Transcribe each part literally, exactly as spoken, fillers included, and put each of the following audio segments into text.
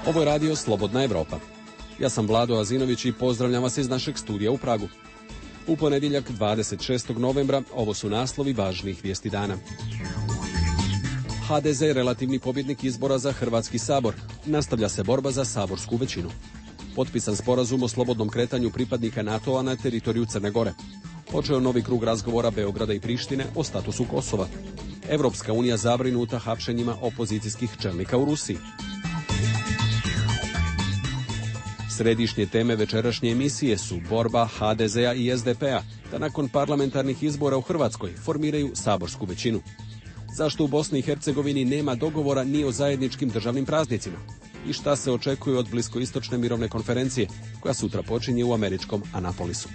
Ovo je radio Slobodna Evropa. Ja sam Vlado Azinović i pozdravljam vas iz našeg studija u Pragu. U ponedjeljak dvadeset šestog novembra ovo su naslovi važnih vijesti dana. ha de ze relativni pobjednik izbora za Hrvatski sabor. Nastavlja se borba za saborsku većinu. Potpisan sporazum o slobodnom kretanju pripadnika NATO-a na teritoriju Crne Gore. Počeo novi krug razgovora Beograda i Prištine o statusu Kosova. Evropska unija zabrinuta hapšenjima opozicijskih čelnika u Rusiji. Središnje teme večerašnje emisije su borba ha de zea i es de pea da nakon parlamentarnih izbora u Hrvatskoj formiraju saborsku većinu. Zašto u Bosni i Hercegovini nema dogovora ni o zajedničkim državnim praznicima? I šta se očekuje od bliskoistočne mirovne konferencije koja sutra počinje u američkom Anapolisu?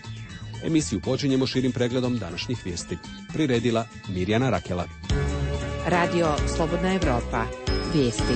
Emisiju počinjemo širim pregledom današnjih vijesti. Priredila Mirjana Rakela. Radio Slobodna Evropa. Vijesti.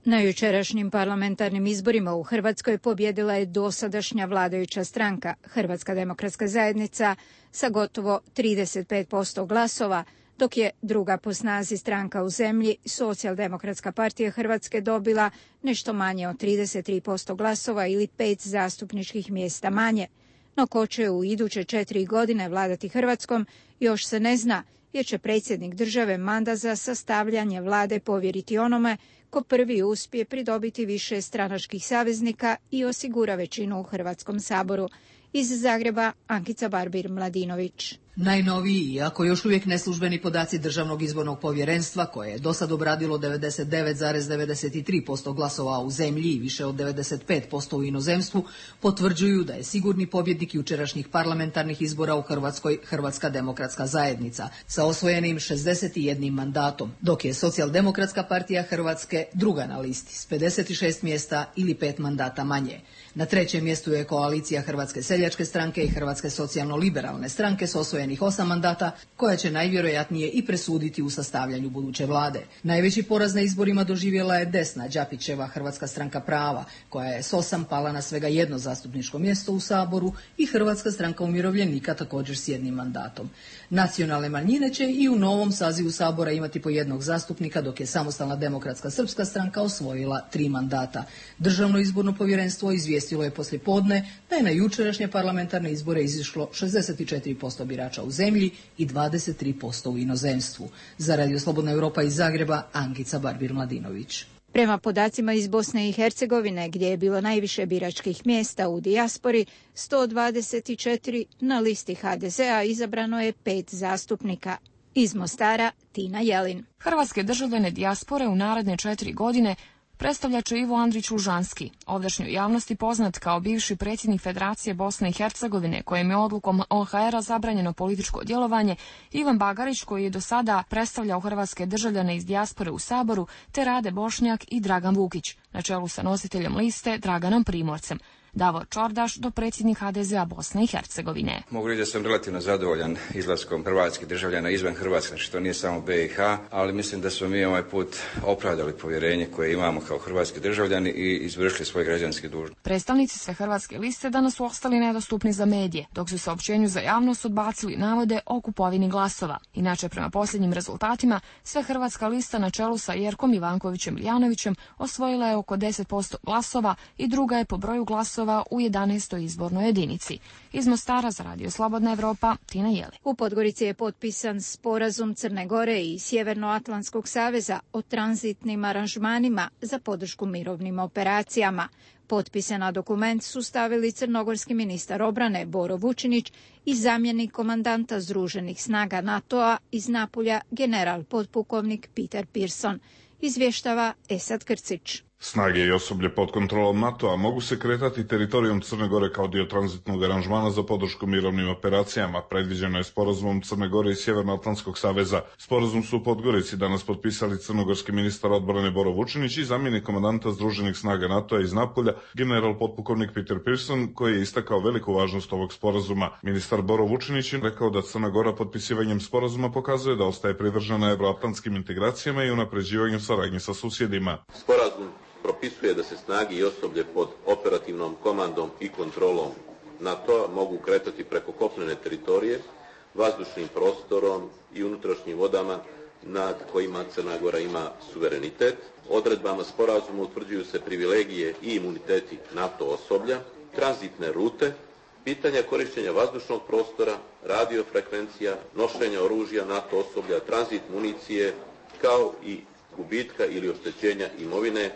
Na jučerašnjim parlamentarnim izborima u Hrvatskoj pobjedila je dosadašnja vladajuća stranka Hrvatska demokratska zajednica sa gotovo trideset pet posto glasova, dok je druga po snazi stranka u zemlji, Socijaldemokratska partija Hrvatske, dobila nešto manje od trideset tri posto glasova ili pet zastupničkih mjesta manje. No ko će u iduće četiri godine vladati Hrvatskom još se ne zna, jer će predsjednik države mandat za sastavljanje vlade povjeriti onome ko prvi uspije pridobiti više stranačkih saveznika i osigura većinu u Hrvatskom saboru. Iz Zagreba, Ankica Barbir-Mladinović. Najnoviji, iako još uvijek neslužbeni podaci Državnog izbornog povjerenstva, koje je do sad obradilo devedeset devet zarez devedeset tri posto glasova u zemlji i više od devedeset pet posto u inozemstvu, potvrđuju da je sigurni pobjednik jučerašnjih parlamentarnih izbora u Hrvatskoj Hrvatska demokratska zajednica sa osvojenim šezdeset jedan mandatom, dok je Socijaldemokratska partija Hrvatske druga na listi s pedeset šest mjesta ili pet mandata manje. Na trećem mjestu je koalicija Hrvatske seljačke stranke i Hrvatske socijalno-liberalne stranke s osvojenih osam mandata, koja će najvjerojatnije i presuditi u sastavljanju buduće vlade. Najveći poraz na izborima doživjela je desna Đapićeva Hrvatska stranka prava, koja je s osam pala na svega jedno zastupničko mjesto u Saboru, i Hrvatska stranka umirovljenika također s jednim mandatom. Nacionalne manjine će i u novom sazivu Sabora imati po jednog zastupnika, dok je Samostalna demokratska srpska stranka osvojila tri mandata. Državno izborno povjerenstvo izvijestilo je poslijepodne da je na jučerašnje parlamentarne izbore izišlo šezdeset četiri posto birača u zemlji i dvadeset tri posto u inozemstvu. Za Radio Slobodna Evropa iz Zagreba, Ankica Barbir-Mladinović. Prema podacima iz Bosne i Hercegovine, gdje je bilo najviše biračkih mjesta u dijaspori, sto dvadeset četiri, na listi ha de zea izabrano je pet zastupnika. Iz Mostara, Tina Jelin. Hrvatske državljane dijaspore u naredne četiri godine predstavlja će Ivo Andrić Lužanski, ovdašnjoj javnosti poznat kao bivši predsjednik Federacije Bosne i Hercegovine, kojem je odlukom o ha era zabranjeno političko djelovanje, Ivan Bagarić, koji je do sada predstavljao hrvatske državljane iz dijaspore u Saboru, te Rade Bošnjak i Dragan Vukić, na čelu sa nositeljem liste Draganom Primorcem. Davor Čordaš, dopredsjednik ha de zea Bosne i Hercegovine. Mogu reći da sam relativno zadovoljan izlaskom hrvatskih državljana izvan Hrvatske, znači to nije samo be i ha, ali mislim da smo mi ovaj put opravdali povjerenje koje imamo kao hrvatski državljani i izvršili svoje građanske dužnosti. Predstavnici sve hrvatske liste danas su ostali nedostupni za medije, dok su saopćenju za javnost odbacili navode o kupovini glasova. Inače, prema posljednjim rezultatima, sve hrvatska lista na čelu sa Jerkom Ivankovićem Iljanovićem osvojila je oko deset posto glasova i druga je po broju glasova u jedanaestoj izbornoj jedinici. Iz Mostara za Radio Slobodna Evropa, Tina Jeli. U Podgorici je potpisan sporazum Crne Gore i Sjevernoatlantskog saveza o tranzitnim aranžmanima za podršku mirovnim operacijama. Potpise na dokument su stavili crnogorski ministar obrane Boro Vučinić i zamjenik komandanta Združenih snaga NATO-a iz Napulja general potpukovnik Peter Pearson. Izvještava Esad Krcić. Snage i osoblje pod kontrolom NATO-a mogu se kretati teritorijom Crne Gore kao dio tranzitnog aranžmana za podršku mirovnim operacijama. Predviđeno je sporazumom Crne Gore i Sjevernoatlantskog saveza. Sporazum su u Podgorici danas potpisali crnogorski ministar odbrane Boro Vučinić i zamjenik komandanta Združenih snaga NATO-a iz Napulja, general potpukovnik Peter Pearson, koji je istakao veliku važnost ovog sporazuma. Ministar Boro Vučinić je rekao da Crna Gora potpisivanjem sporazuma pokazuje da ostaje privržena evroatlantskim integracijama i unapređivanju saradnje sa susjedima. Sporazum propisuje da se snage i osoblje pod operativnom komandom i kontrolom NATO-a mogu kretati preko kopnene teritorije, vazdušnim prostorom i unutrašnjim vodama nad kojima Crna Gora ima suverenitet. Odredbama sporazuma utvrđuju se privilegije i imuniteti NATO osoblja, tranzitne rute, pitanja korištenja vazdušnog prostora, radiofrekvencija, nošenja oružja NATO osoblja, tranzit municije, kao i gubitka ili oštećenja imovine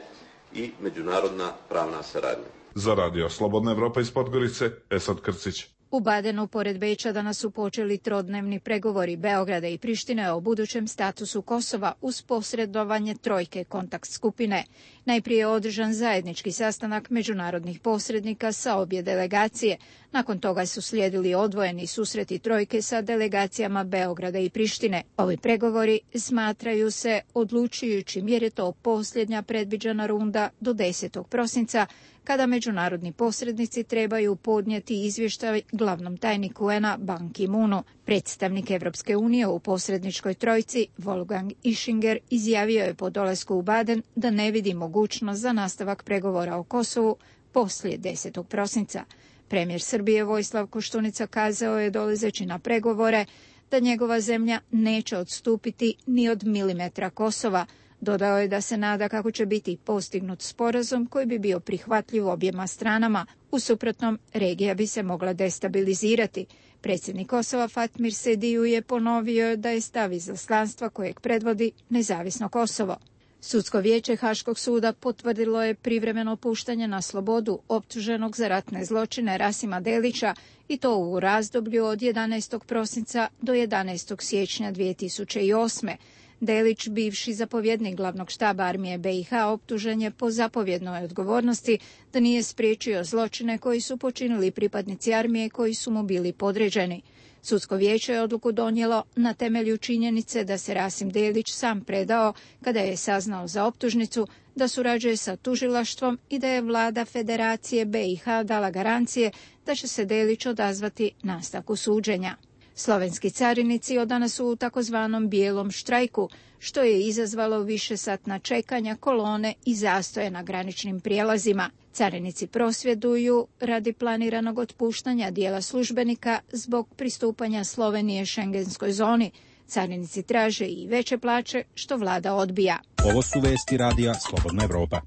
i međunarodna pravna saradnja. Za radio Slobodna Evropa iz Podgorice, Esad Krcić. U Badenu, pored Beča, danas su počeli trodnevni pregovori Beograda i Prištine o budućem statusu Kosova uz posredovanje trojke kontakt skupine. Najprije je održan zajednički sastanak međunarodnih posrednika sa obje delegacije. Nakon toga su slijedili odvojeni susreti trojke sa delegacijama Beograda i Prištine. Ovi pregovori smatraju se odlučujućim jer je to posljednja predviđena runda do desetog prosinca, kada međunarodni posrednici trebaju podnijeti izvještaj glavnom tajniku U N A Ban Ki-moonu. Predstavnik Evropske unije u posredničkoj trojci, Wolfgang Ischinger, izjavio je po dolasku u Baden da ne vidi mogućnost za nastavak pregovora o Kosovu poslije desetog prosinca. Premijer Srbije Vojislav Koštunica kazao je dolazeći na pregovore da njegova zemlja neće odstupiti ni od milimetra Kosova. Dodao je da se nada kako će biti postignut sporazum koji bi bio prihvatljiv objema stranama. U suprotnom, regija bi se mogla destabilizirati. Predsjednik Kosova Fatmir Sediju je ponovio da je stav izaslanstva kojeg predvodi nezavisno Kosovo. Sudsko vijeće Haškog suda potvrdilo je privremeno puštanje na slobodu optuženog za ratne zločine Rasima Delića i to u razdoblju od jedanaestog prosinca do jedanaestog siječnja dvije tisuće osme. Delić, bivši zapovjednik glavnog štaba armije B i H, optužen je po zapovjednoj odgovornosti da nije spriječio zločine koji su počinili pripadnici armije koji su mu bili podređeni. Sudsko vijeće je odluku donijelo na temelju činjenice da se Rasim Delić sam predao kada je saznao za optužnicu, da surađuje sa tužilaštvom i da je vlada Federacije B i H dala garancije da će se Delić odazvati nastavku suđenja. Slovenski carinici od danas su u takozvanom bijelom štrajku, što je izazvalo višesatna čekanja, kolone i zastoje na graničnim prijelazima. Carinici prosvjeduju radi planiranog otpuštanja dijela službenika zbog pristupanja Slovenije šengenskoj zoni. Carinici traže i veće plaće, što vlada odbija. Ovo su vesti radija Slobodna Evropa.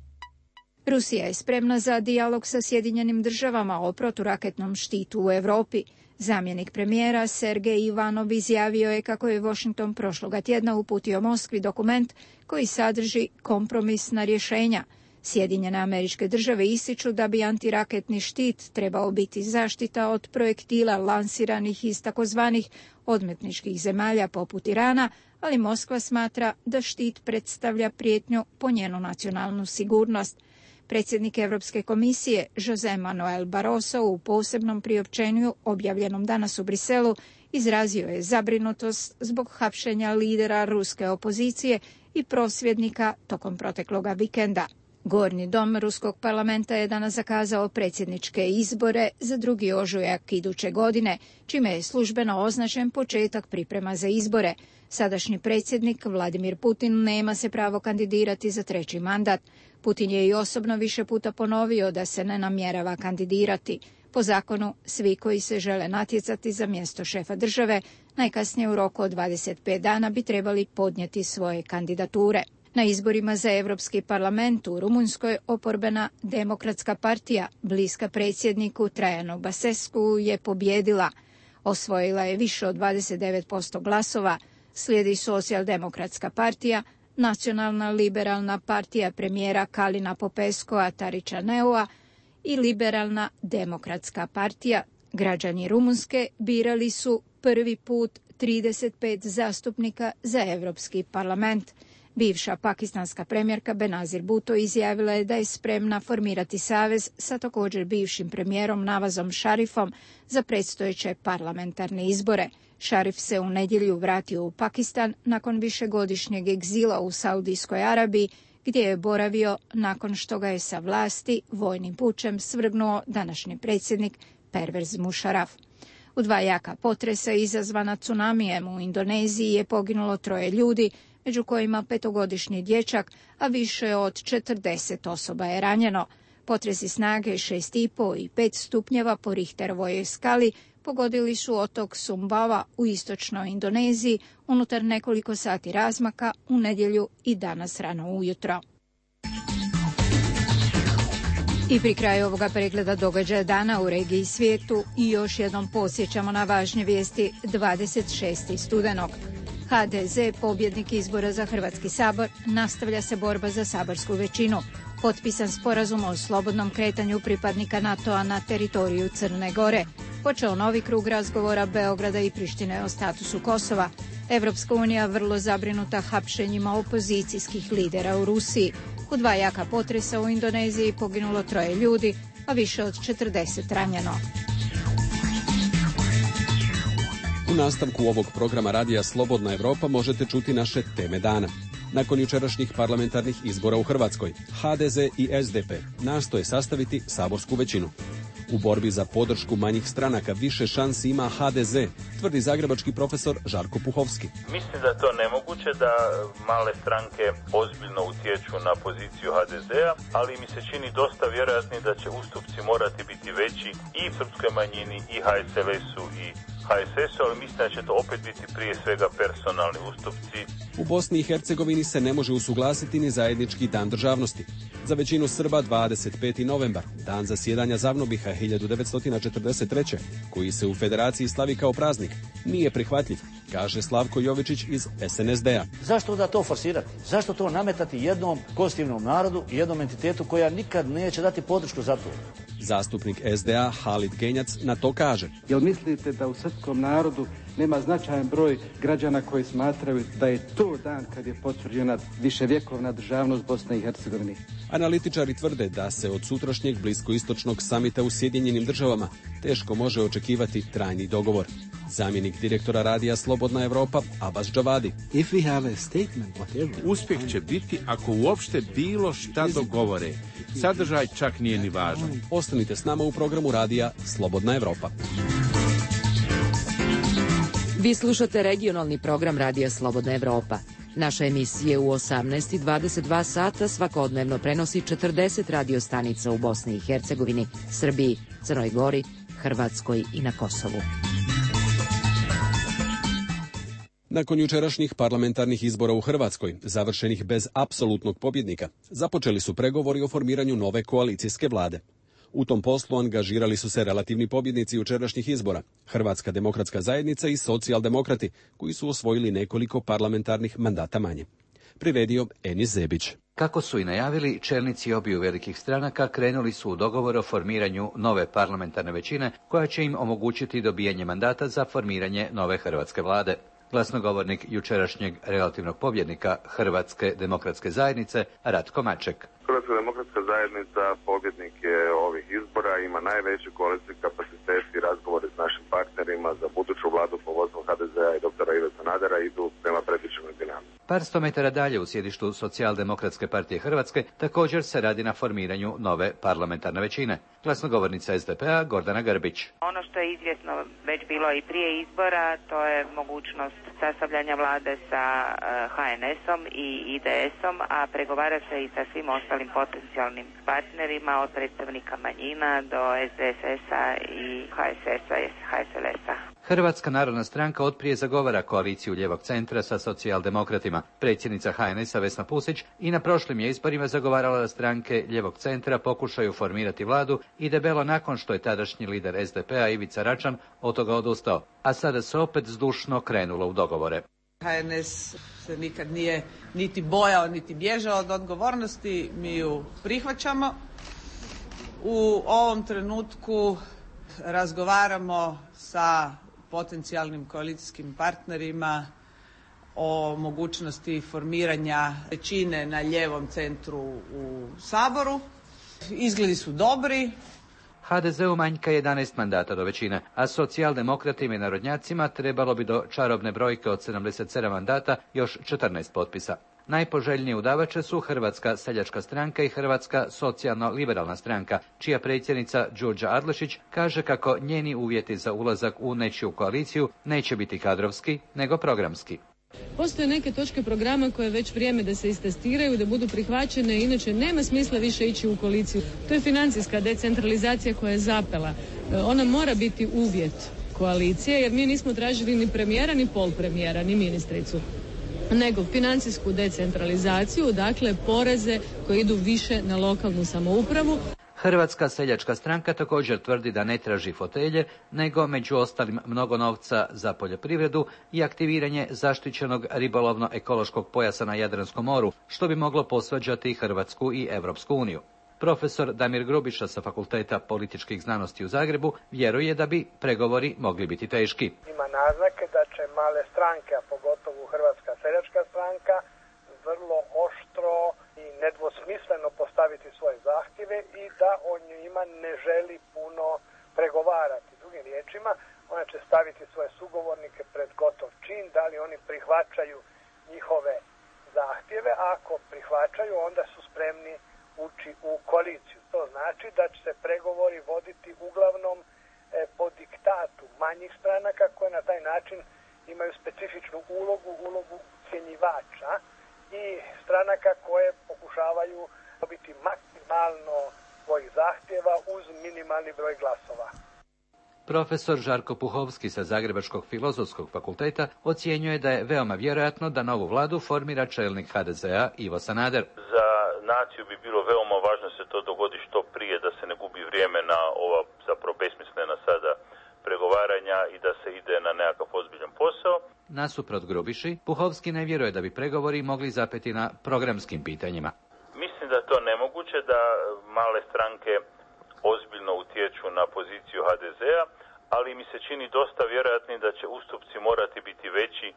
Rusija je spremna za dijalog sa Sjedinjenim državama o proturaketnom štitu u Europi. Zamjenik premijera Sergej Ivanov izjavio je kako je Washington prošloga tjedna uputio Moskvi dokument koji sadrži kompromisna rješenja. Sjedinjene Američke Države ističu da bi antiraketni štit trebao biti zaštita od projektila lansiranih iz takozvanih odmetničkih zemalja poput Irana, ali Moskva smatra da štit predstavlja prijetnju po njenu nacionalnu sigurnost. Predsjednik Europske komisije José Manuel Barroso u posebnom priopćenju objavljenom danas u Briselu izrazio je zabrinutost zbog hapšenja lidera ruske opozicije i prosvjednika tokom protekloga vikenda. Gornji dom Ruskog parlamenta je danas zakazao predsjedničke izbore za drugi ožujak iduće godine, čime je službeno označen početak priprema za izbore. Sadašnji predsjednik Vladimir Putin nema se pravo kandidirati za treći mandat. Putin je i osobno više puta ponovio da se ne namjerava kandidirati. Po zakonu, svi koji se žele natjecati za mjesto šefa države, najkasnije u roku od dvadeset pet dana bi trebali podnijeti svoje kandidature. Na izborima za Europski parlament u Rumunjskoj oporbena Demokratska partija, bliska predsjedniku Trajanu Basescu, je pobjedila. Osvojila je više od dvadeset devet posto glasova, slijedi Socijaldemokratska partija, Nacionalna liberalna partija premijera Kalina Popeskova Taričaneua i Liberalna demokratska partija. Građani Rumunjske birali su prvi put trideset pet zastupnika za Europski parlament. Bivša pakistanska premijerka Benazir Bhutto izjavila je da je spremna formirati savez sa također bivšim premijerom Nawazom Sharifom za predstojeće parlamentarne izbore. Sharif se u nedjelju vratio u Pakistan nakon višegodišnjeg egzila u Saudijskoj Arabiji, gdje je boravio nakon što ga je sa vlasti vojnim pučem svrgnuo današnji predsjednik Pervez Musharraf. U dva jaka potresa izazvana tsunamijem u Indoneziji je poginulo troje ljudi, među kojima petogodišnji dječak, a više od četrdeset osoba je ranjeno. Potresi snage šest i pol i pet stupnjeva po Richterovoj skali pogodili su otok Sumbawa u istočnoj Indoneziji unutar nekoliko sati razmaka u nedjelju i danas rano ujutro. I pri kraju ovoga pregleda događaja dana u regiji i svijetu i još jednom podsjećamo na važne vijesti dvadeset šestog studenog. ha de ze, pobjednik izbora za Hrvatski sabor, nastavlja se borba za saborsku većinu. Potpisan sporazum o slobodnom kretanju pripadnika NATO-a na teritoriju Crne Gore. Počeo novi krug razgovora Beograda i Prištine o statusu Kosova. Evropska unija vrlo zabrinuta hapšenjima opozicijskih lidera u Rusiji. U dva jaka potresa u Indoneziji poginulo troje ljudi, a više od četrdeset ranjeno. U nastavku ovog programa radija Slobodna Evropa možete čuti naše teme dana. Nakon jučerašnjih parlamentarnih izbora u Hrvatskoj, ha de ze i es de pe nastoje sastaviti saborsku većinu. U borbi za podršku manjih stranaka više šansi ima ha de ze, tvrdi zagrebački profesor Žarko Puhovski. Mislim da je to nemoguće da male stranke ozbiljno utječu na poziciju ha de zea, ali mi se čini dosta vjerojatni da će ustupci morati biti veći i srpskoj manjini i ha es el esu i ha es esu, ali mislim da će to opet biti prije svega personalni ustupci. U Bosni i Hercegovini se ne može usuglasiti ni zajednički dan državnosti. Za većinu Srba dvadeset peti novembar, dan zasjedanja Zavnobiha hiljadu devetsto četrdeset treće, koji se u Federaciji slavi kao praznik, nije prihvatljiv, kaže Slavko Jovičić iz es en es de a. Zašto da to forsirati? Zašto to nametati jednom konstitutivnom narodu i jednom entitetu koja nikad neće dati podršku za to? Zastupnik es de a Halid Genjac na to kaže. Jel mislite da u srpskom narodu nema značajan broj građana koji smatraju da je to dan kad je potvrđena viševjekovna državnost Bosne i Hercegovine? Analitičari tvrde da se od sutrašnjeg bliskoistočnog samita u Sjedinjenim državama teško može očekivati trajni dogovor. Zamjenik direktora radija Slobodna Evropa Abbas Džavadi. Uspjeh će biti ako uopšte bilo šta dogovore. Sadržaj čak nije ni važan. Ostanite s nama u programu radija Slobodna Evropa. Vi slušate regionalni program radija Slobodna Evropa. Naša emisija u osamnaest i dvadeset dva sata svakodnevno prenosi četrdeset radio stanica u Bosni i Hercegovini, Srbiji, Crnoj Gori, Hrvatskoj i na Kosovu. Nakon jučerašnjih parlamentarnih izbora u Hrvatskoj, završenih bez apsolutnog pobjednika, započeli su pregovori o formiranju nove koalicijske vlade. U tom poslu angažirali su se relativni pobjednici jučerašnjih izbora, Hrvatska demokratska zajednica i socijaldemokrati, koji su osvojili nekoliko parlamentarnih mandata manje. Priredio Enis Zebić. Kako su i najavili, čelnici obiju velikih stranaka krenuli su u dogovor o formiranju nove parlamentarne većine, koja će im omogućiti dobijanje mandata za formiranje nove hrvatske vlade. Glasnogovornik jučerašnjeg relativnog pobjednika Hrvatske demokratske zajednice Ratko Maček. Hrvatska demokratska zajednica pobjednik je ovih izbora, ima najveći koalicijski kapacitet i razgovori s našim partnerima za buduću vladu po vodstvu ha de zea i doktora Ive Sanadera idu prema predviđenoj dinamici. Par sto metara dalje u sjedištu Socijaldemokratske partije Hrvatske također se radi na formiranju nove parlamentarne većine. Glasnogovornica es de pe a Gordana Grbić. Ono što je izvjesno već bilo i prije izbora, to je mogućnost sastavljanja vlade sa ha en esom i i de esom, a pregovara se i sa svim ostalim potencijalnim partnerima, od predstavnika manjina do es de es esa i ha es esa i ha es el esa. Hrvatska narodna stranka otprije zagovara koaliciju lijevog centra sa socijaldemokratima. Predsjednica ha en esa Vesna Pusić i na prošlim je izborima zagovarala da stranke lijevog centra pokušaju formirati vladu i debelo nakon što je tadašnji lider es de pe a Ivica Račan od toga odustao, a sada se opet zdušno krenulo u dogovore. ha en es se nikad nije niti bojao, niti bježao od odgovornosti, mi ju prihvaćamo. U ovom trenutku razgovaramo sa potencijalnim koalicijskim partnerima o mogućnosti formiranja većine na lijevom centru u Saboru. Izgledi su dobri. ha de zeu manjka jedanaest mandata do većine, a socijaldemokratima i narodnjacima trebalo bi do čarobne brojke od sedamdeset sedam mandata još četrnaest potpisa. Najpoželjnije udavače su Hrvatska seljačka stranka i Hrvatska socijalno-liberalna stranka, čija predsjednica Đurđa Adlešić kaže kako njeni uvjeti za ulazak u nečiju koaliciju neće biti kadrovski, nego programski. Postoje neke točke programa koje je već vrijeme da se istestiraju, da budu prihvaćene, inače nema smisla više ići u koaliciju. To je financijska decentralizacija koja je zapela. Ona mora biti uvjet koalicije, jer mi nismo tražili ni premijera, ni pol premijera, ni ministricu, nego financijsku decentralizaciju, dakle poreze koji idu više na lokalnu samoupravu. Hrvatska seljačka stranka također tvrdi da ne traži fotelje, nego među ostalim mnogo novca za poljoprivredu i aktiviranje zaštićenog ribolovno-ekološkog pojasa na Jadranskom moru, što bi moglo posvađati Hrvatsku i Europsku uniju. Profesor Damir Grubiša sa Fakulteta političkih znanosti u Zagrebu vjeruje da bi pregovori mogli biti teški. Ima naznake da će male stranke, a pogotovo Hrvatska seljačka stranka, vrlo oštro i nedvosmisleno postaviti svoje zahtjeve i da o njima ne želi puno pregovarati. Drugim riječima, ona će staviti svoje sugovornike pred gotov čin, da li oni prihvaćaju njihove zahtjeve, a ako prihvaćaju, onda su spremni ući u koaliciju. To znači da će se pregovori voditi uglavnom e, po diktatu manjih stranaka koje na taj način imaju specifičnu ulogu, ulogu ucjenjivača i stranaka koje pokušavaju dobiti maksimalno svojih zahtjeva uz minimalni broj glasova. Profesor Žarko Puhovski sa Zagrebačkog filozofskog fakulteta ocjenjuje da je veoma vjerojatno da novu vladu formira čelnik ha de zea Ivo Sanader. Za naciju bi bilo veoma važno se to dogodi što prije, da se ne gubi vrijeme na ova zapravo besmislena sada pregovaranja i da se ide na nekakav ozbiljan posao. Nasuprot Grubiši, Puhovski ne vjeruje da bi pregovori mogli zapeti na programskim pitanjima. Mislim da je to nemoguće, da male stranke ozbiljno utječu na poziciju ha de zea, ali mi se čini dosta vjerojatnim da će ustupci morati biti veći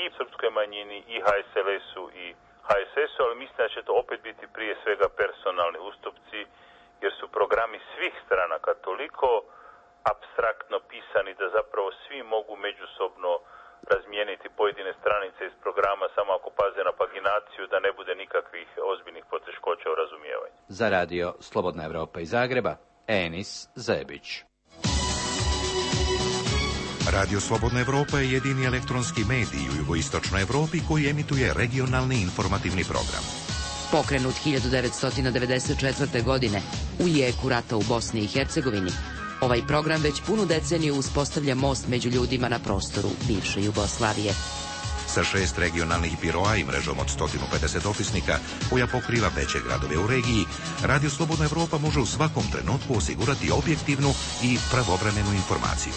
i srpskoj manjini, i ha es el esu, i ha es esu, ali mislim da će to opet biti prije svega personalni ustupci, jer su programi svih stranaka toliko apstraktno pisani da zapravo svi mogu međusobno razmijeniti pojedine stranice iz programa samo ako paze na paginaciju, da ne bude nikakvih ozbiljnih poteškoća u razumijevanju. Za radio Slobodna Evropa iz Zagreba, Enis Zebić. Radio Slobodna Evropa je jedini elektronski medij u jugoistočnoj Evropi koji emituje regionalni informativni program. Pokrenut hiljadu devetsto devedeset četvrte. godine u jeku rata u Bosni i Hercegovini, ovaj program već punu deceniju uspostavlja most među ljudima na prostoru bivše Jugoslavije. Sa šest regionalnih biroa i mrežom od sto pedeset opisnika koja pokriva veće gradove u regiji, Radio Slobodna Evropa može u svakom trenutku osigurati objektivnu i pravovremenu informaciju.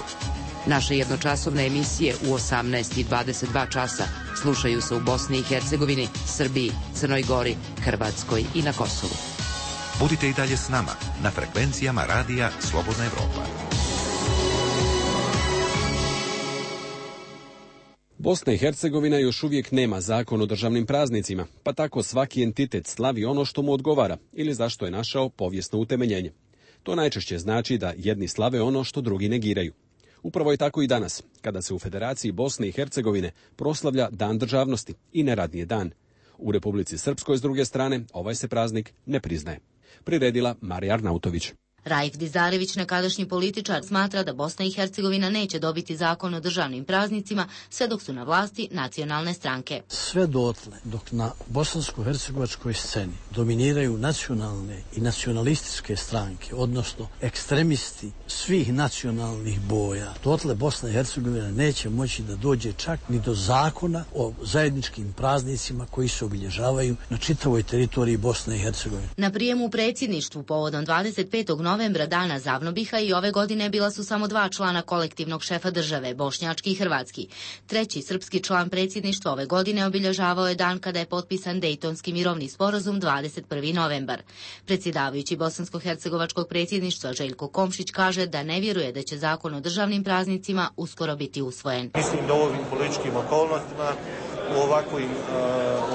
Naše jednočasovne emisije u osamnaest i dvadeset dva časa slušaju se u Bosni i Hercegovini, Srbiji, Crnoj Gori, Hrvatskoj i na Kosovu. Budite i dalje s nama na frekvencijama radija Slobodna Evropa. Bosna i Hercegovina još uvijek nema zakon o državnim praznicima, pa tako svaki entitet slavi ono što mu odgovara ili zašto je našao povijesno utemeljenje. To najčešće znači da jedni slave ono što drugi negiraju. Upravo je tako i danas, kada se u Federaciji Bosne i Hercegovine proslavlja Dan državnosti i neradni je dan. U Republici Srpskoj, s druge strane, ovaj se praznik ne priznaje. Priredila Marija Arnautović. Raif Dizarević, nekadašnji političar, smatra da Bosna i Hercegovina neće dobiti zakon o državnim praznicima sve dok su na vlasti nacionalne stranke. Sve dotle dok na bosansko-hercegovačkoj sceni dominiraju nacionalne i nacionalističke stranke, odnosno ekstremisti svih nacionalnih boja, dotle Bosna i Hercegovina neće moći da dođe čak ni do zakona o zajedničkim praznicima koji se obilježavaju na čitavoj teritoriji Bosne i Hercegovine. Na prijemu u predsjedništvu povodom dvadeset petog novembra, dana Zavnobiha, i ove godine bila su samo dva člana kolektivnog šefa države, bošnjački i hrvatski. Treći srpski član predsjedništva ove godine obilježavao je dan kada je potpisan Dejtonski mirovni sporazum, dvadeset prvi novembar. Predsjedavajući bosansko-hercegovačkog predsjedništva Željko Komšić kaže da ne vjeruje da će zakon o državnim praznicima uskoro biti usvojen. Mislim da u ovim političkim okolnostima u ovakvoj, uh,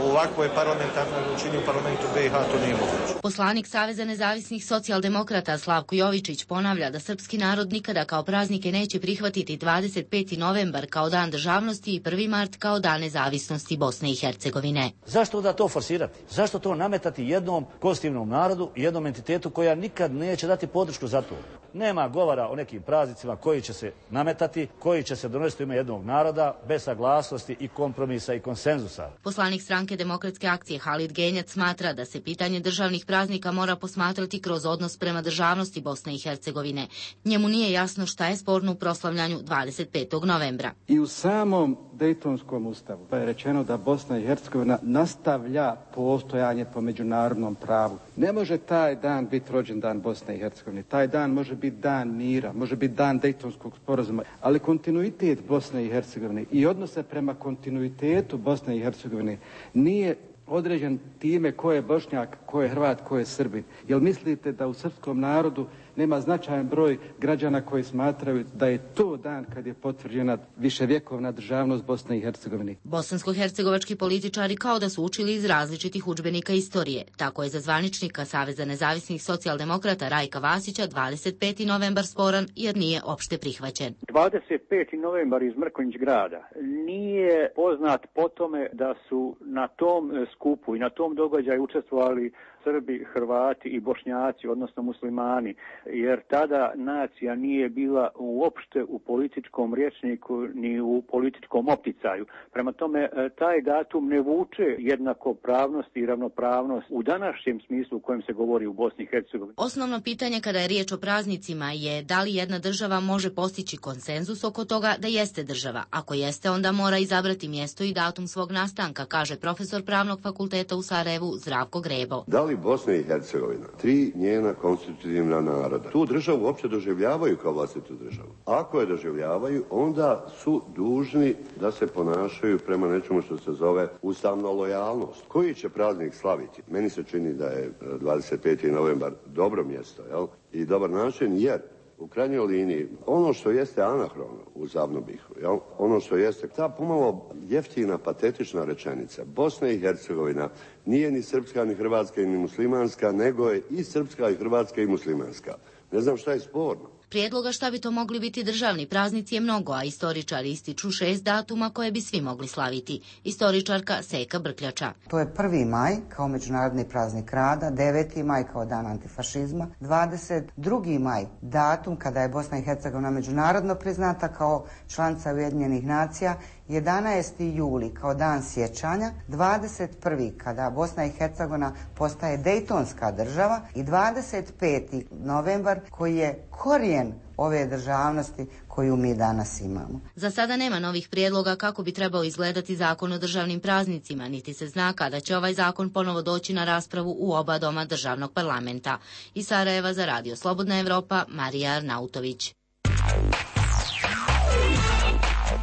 u ovakvoj parlamentarnoj većini u parlamentu be i ha to nije moguće. Poslanik Saveza nezavisnih socijaldemokrata Slavko Jovičić ponavlja da srpski narod nikada kao praznike neće prihvatiti dvadeset peti novembar kao dan državnosti i prvi mart kao dan nezavisnosti Bosne i Hercegovine. Zašto da to forsirati? Zašto to nametati jednom konstitutivnom narodu i jednom entitetu koja nikad neće dati podršku za to? Nema govora o nekim praznicima koji će se nametati, koji će se donositi u ime jednog naroda, bez saglasnosti i kompromisa i konsenzusa. Poslanik stranke Demokratske akcije Halid Genjac smatra da se pitanje državnih praznika mora posmatrati kroz odnos prema državnosti Bosne i Hercegovine. Njemu nije jasno šta je sporno u proslavljanju dvadeset petog novembra. I u samom Dejtonskom ustavu pa je rečeno da Bosna i Hercegovina nastavlja postojanje po međunarodnom pravu. Ne može taj dan biti rođendan Bosne i Hercegovine. Taj dan može biti dan mira, može biti dan Dejtonskog sporazuma, ali kontinuitet Bosne i Hercegovine i odnose prema kontinuitetu Bosne i Hercegovine nije određen time ko je Bošnjak, ko je Hrvat, ko je Srbin. Jel mislite da u srpskom narodu nema značajan broj građana koji smatraju da je to dan kad je potvrđena viševjekovna državnost Bosne i Hercegovine? Bosansko-hercegovački političari kao da su učili iz različitih udžbenika istorije. Tako je za zvaničnika Saveza nezavisnih socijaldemokrata Rajka Vasića dvadeset peti novembar sporan jer nije opšte prihvaćen. dvadeset peti novembar iz Mrkonjić grada nije poznat po tome da su na tom skupu i na tom događaju učestvovali Srbi, Hrvati i Bošnjaci, odnosno muslimani, jer tada nacija nije bila uopšte u političkom rječniku ni u političkom opticaju. Prema tome, taj datum ne vuče jednakopravnost i ravnopravnost u današnjem smislu u kojem se govori u Bosni i Hercegovini. Osnovno pitanje kada je riječ o praznicima je da li jedna država može postići konsenzus oko toga da jeste država. Ako jeste, onda mora izabrati mjesto i datum svog nastanka, kaže profesor Pravnog fakulteta u Sarajevu Zdravko Grebo. Da li Bosna i Hercegovina, tri njena konstitutivna naroda, tu državu uopće doživljavaju kao vlastitu državu? Ako je doživljavaju, onda su dužni da se ponašaju prema nečemu što se zove ustavna lojalnost. Koji će praznik slaviti? Meni se čini da je dvadeset peti novembar dobro mjesto, jel? I dobar način, jer u krajnjoj liniji, ono što jeste anahrono u Zavnobihu, jel? Ono što jeste ta pomalo jeftina, patetična rečenica. Bosna i Hercegovina nije ni srpska, ni hrvatska, ni muslimanska, nego je i srpska, i hrvatska, i muslimanska. Ne znam šta je sporno. Prijedloga šta bi to mogli biti državni praznici je mnogo, a istoričari ističu šest datuma koje bi svi mogli slaviti. Istoričarka Seka Brkljača. To je prvi maj kao međunarodni praznik rada, deveti maj kao dan antifašizma, dvadeset drugi maj datum kada je Bosna i Hercegovina međunarodno priznata kao članica Ujedinjenih nacija, jedanaesti juli kao dan sjećanja, dvadeset prvi kada Bosna i Hercegovina postaje Dejtonska država i dvadeset peti novembar koji je korijen ove državnosti koju mi danas imamo. Za sada nema novih prijedloga kako bi trebao izgledati zakon o državnim praznicima, niti se zna kada će ovaj zakon ponovo doći na raspravu u oba doma državnog parlamenta. Iz Sarajeva za Radio Slobodna Evropa, Marija Arnautović.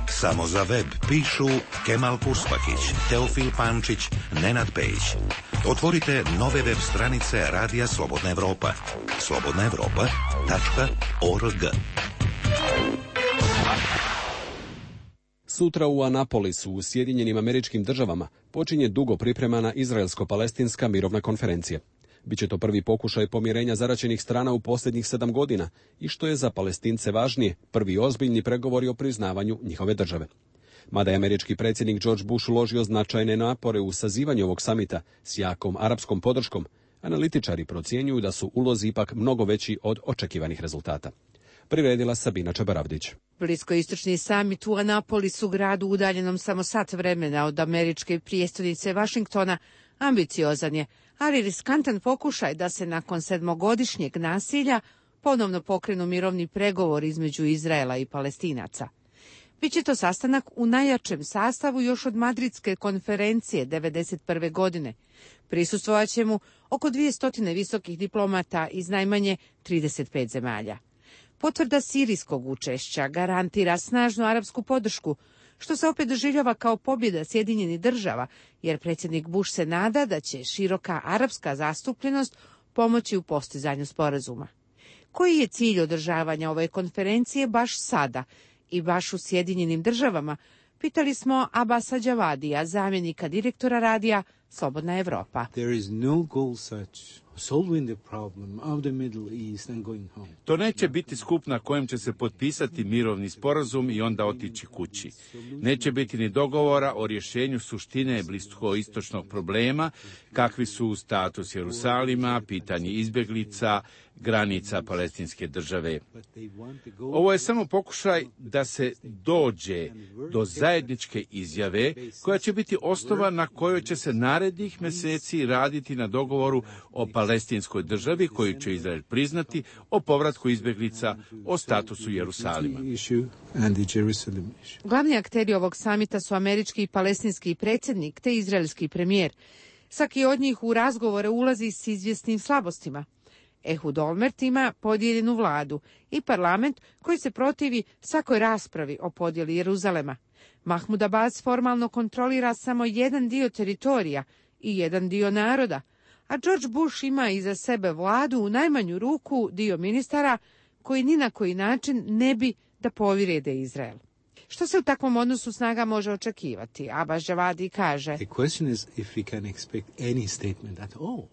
Samo za web pišu Kemal Purspakić, Teofil Pančić, Nenad Pejić. Otvorite nove web stranice Radija Slobodna Evropa. slobodna evropa tačka org. Sutra u Anapolisu u Sjedinjenim Američkim Državama počinje dugo pripremana Izraelsko-palestinska mirovna konferencija. Biće to prvi pokušaj pomirenja zaraćenih strana u posljednjih sedam godina i što je za Palestince važnije, prvi ozbiljni pregovori o priznavanju njihove države. Mada je američki predsjednik George Bush uložio značajne napore u sazivanju ovog samita s jakom arapskom podrškom, analitičari procjenjuju da su ulozi ipak mnogo veći od očekivanih rezultata. Priredila Sabina Čabaravdić. Bliskoistočni samit u Anapolisu, gradu udaljenom samo sat vremena od američke prijestolnice Vašingtona, ambiciozan je, ali riskantan pokušaj da se nakon sedmogodišnjeg nasilja ponovno pokrenu mirovni pregovor između Izraela i Palestinaca. Biće to sastanak u najjačem sastavu još od Madridske konferencije devedeset prve godine. Prisustvovaće mu oko dvjesto visokih diplomata iz najmanje trideset pet zemalja. Potvrda sirijskog učešća garantira snažnu arapsku podršku, što se opet doživljava kao pobjeda Sjedinjenih država, jer predsjednik Bush se nada da će široka arapska zastupljenost pomoći u postizanju sporazuma. Koji je cilj održavanja ove konferencije baš sada i baš u Sjedinjenim državama, pitali smo Abasa Đavadija, zamjenika direktora radija Slobodna Evropa. There is no goal such To neće biti skup na kojem će se potpisati mirovni sporazum i onda otići kući. Neće biti ni dogovora o rješenju suštine bliskoistočnog problema, kakvi su status Jerusalima, pitanje izbjeglica, granica palestinske države. Ovo je samo pokušaj da se dođe do zajedničke izjave koja će biti osnova na kojoj će se narednih mjeseci raditi na dogovoru o palestinskoj državi koju će Izrael priznati, o povratku izbjeglica, o statusu Jerusalima. Glavni akteri ovog samita su američki i palestinski predsjednik te izraelski premijer. Svaki od njih u razgovore ulazi s izvjesnim slabostima. Ehud Olmert ima podijeljenu vladu i parlament koji se protivi svakoj raspravi o podjeli Jeruzalema. Mahmud Abbas formalno kontrolira samo jedan dio teritorija i jedan dio naroda, a George Bush ima iza sebe vladu u najmanju ruku dio ministara koji ni na koji način ne bi da povrijede Izrael. Što se u takvom odnosu snaga može očekivati? Abbas Javadi kaže: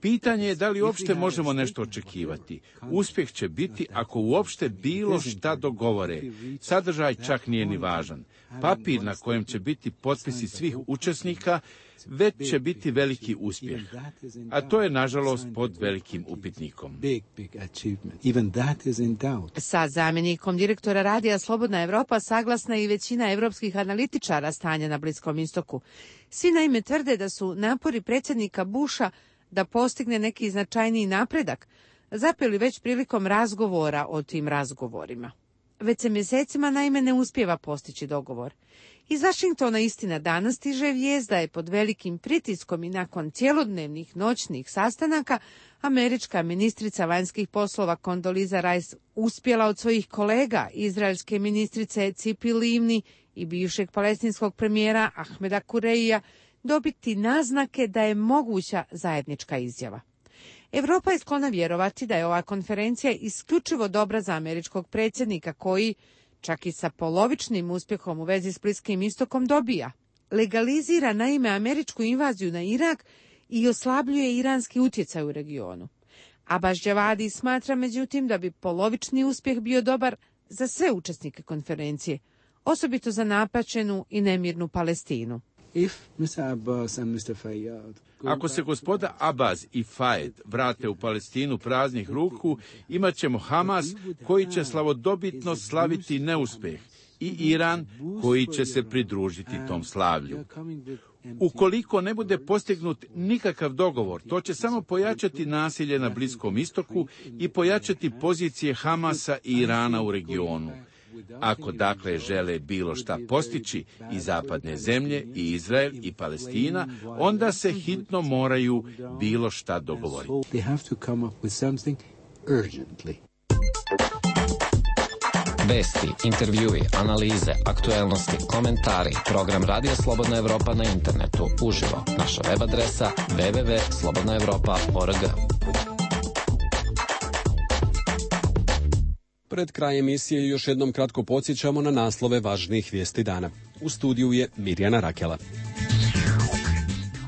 Pitanje je da li uopšte možemo nešto očekivati. Uspjeh će biti ako uopšte bilo šta dogovore. Sadržaj čak nije ni važan. Papir na kojem će biti potpisi svih učesnika već će biti veliki uspjeh, a to je nažalost pod velikim upitnikom. Sa zamjenikom direktora radija Slobodna Evropa saglasna je i većina evropskih analitičara stanja na Bliskom istoku. Svi naime tvrde da su napori predsjednika Busha da postigne neki značajniji napredak zapeli već prilikom razgovora o tim razgovorima. Već se mjesecima naime ne uspijeva postići dogovor. Iz Vašingtona istina danas stiže vijest da je pod velikim pritiskom i nakon cjelodnevnih noćnih sastanaka američka ministrica vanjskih poslova Condoleezza Rice uspjela od svojih kolega, izraelske ministrice Cipi Livni i bivšeg palestinskog premijera Ahmeda Kureija, dobiti naznake da je moguća zajednička izjava. Europa je sklona vjerovati da je ova konferencija isključivo dobra za američkog predsjednika koji, čak i sa polovičnim uspjehom u vezi s Bliskim istokom, dobija. Legalizira naime američku invaziju na Irak i oslabljuje iranski utjecaj u regionu. Abbas Javadi smatra međutim da bi polovični uspjeh bio dobar za sve učesnike konferencije, osobito za napaćenu i nemirnu Palestinu. Ako se gospoda Abbas i Fayed vrate u Palestinu praznih ruku, imat ćemo Hamas koji će slavodobitno slaviti neuspjeh i Iran koji će se pridružiti tom slavlju. Ukoliko ne bude postignut nikakav dogovor, to će samo pojačati nasilje na Bliskom istoku i pojačati pozicije Hamasa i Irana u regionu. Ako dakle žele bilo šta postići i zapadne zemlje, i Izrael, i Palestina, onda se hitno moraju bilo šta dogovoriti. Vesti, intervjui, analize, aktuelnosti, komentari, program Radija Slobodna Evropa na internetu, uživo, naša web adresa w w w tačka slobodna evropa tačka org. Pred kraj emisije još jednom kratko podsjećamo na naslove važnijih vijesti dana. U studiju je Mirjana Rakela.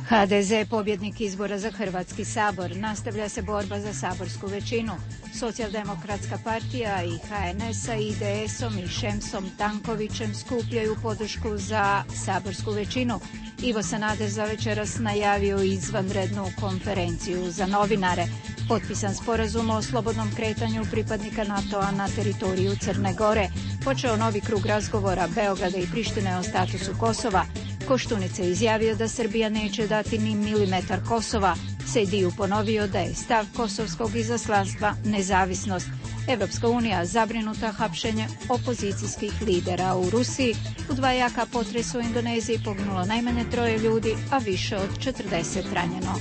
ha de ze pobjednik izbora za Hrvatski sabor. Nastavlja se borba za saborsku većinu. Socijaldemokratska partija i ha en es sa i de esom i Šemsom Tankovićem skupljaju podršku za saborsku većinu. Ivo Sanader za večeras najavio izvanrednu konferenciju za novinare. Potpisan sporazum o slobodnom kretanju pripadnika NATO-a na teritoriju Crne Gore. Počeo novi krug razgovora Beograda i Prištine o statusu Kosova. Koštunica je izjavio da Srbija neće dati ni milimetar Kosova. Sejdiju ponovio da je stav kosovskog izaslanstva nezavisnost. Evropska unija zabrinuta hapšenje opozicijskih lidera u Rusiji. U dva jaka potresa u Indoneziji poginulo najmanje troje ljudi, a više od četrdeset ranjeno.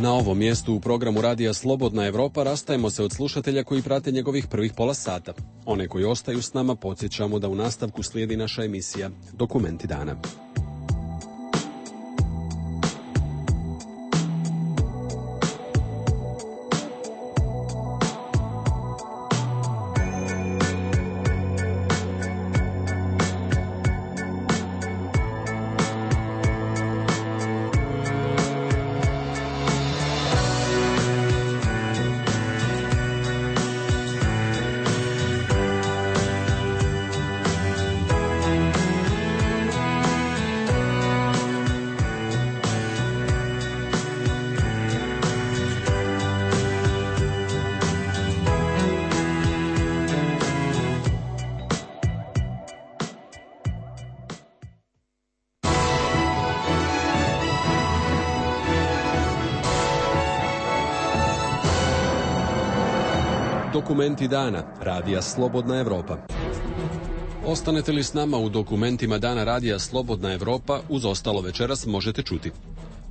Na ovom mjestu u programu Radija Slobodna Evropa rastajemo se od slušatelja koji prate njegovih prvih pola sata. One koji ostaju s nama podsjećamo da u nastavku slijedi naša emisija Dokumenti dana. Dokumenti dana, radija Slobodna Evropa. Ostanete li s nama u dokumentima dana radija Slobodna Evropa, uz ostalo večeras možete čuti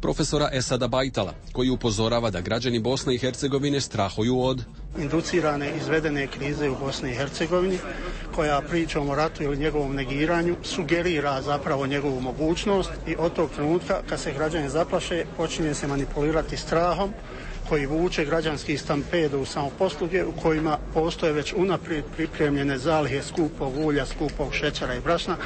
profesora Esada Bajtala, koji upozorava da građani Bosne i Hercegovine strahuju od inducirane izvedene krize u Bosni i Hercegovini, koja pričom o ratu ili njegovom negiranju sugerira zapravo njegovu mogućnost i od tog trenutka kad se građani zaplaše počinje se manipulirati strahom koji vuče građanski stampedo u samoposluge u kojima postoje već unaprijed pripremljene zalihe skupog ulja, skupog šećera i brašna.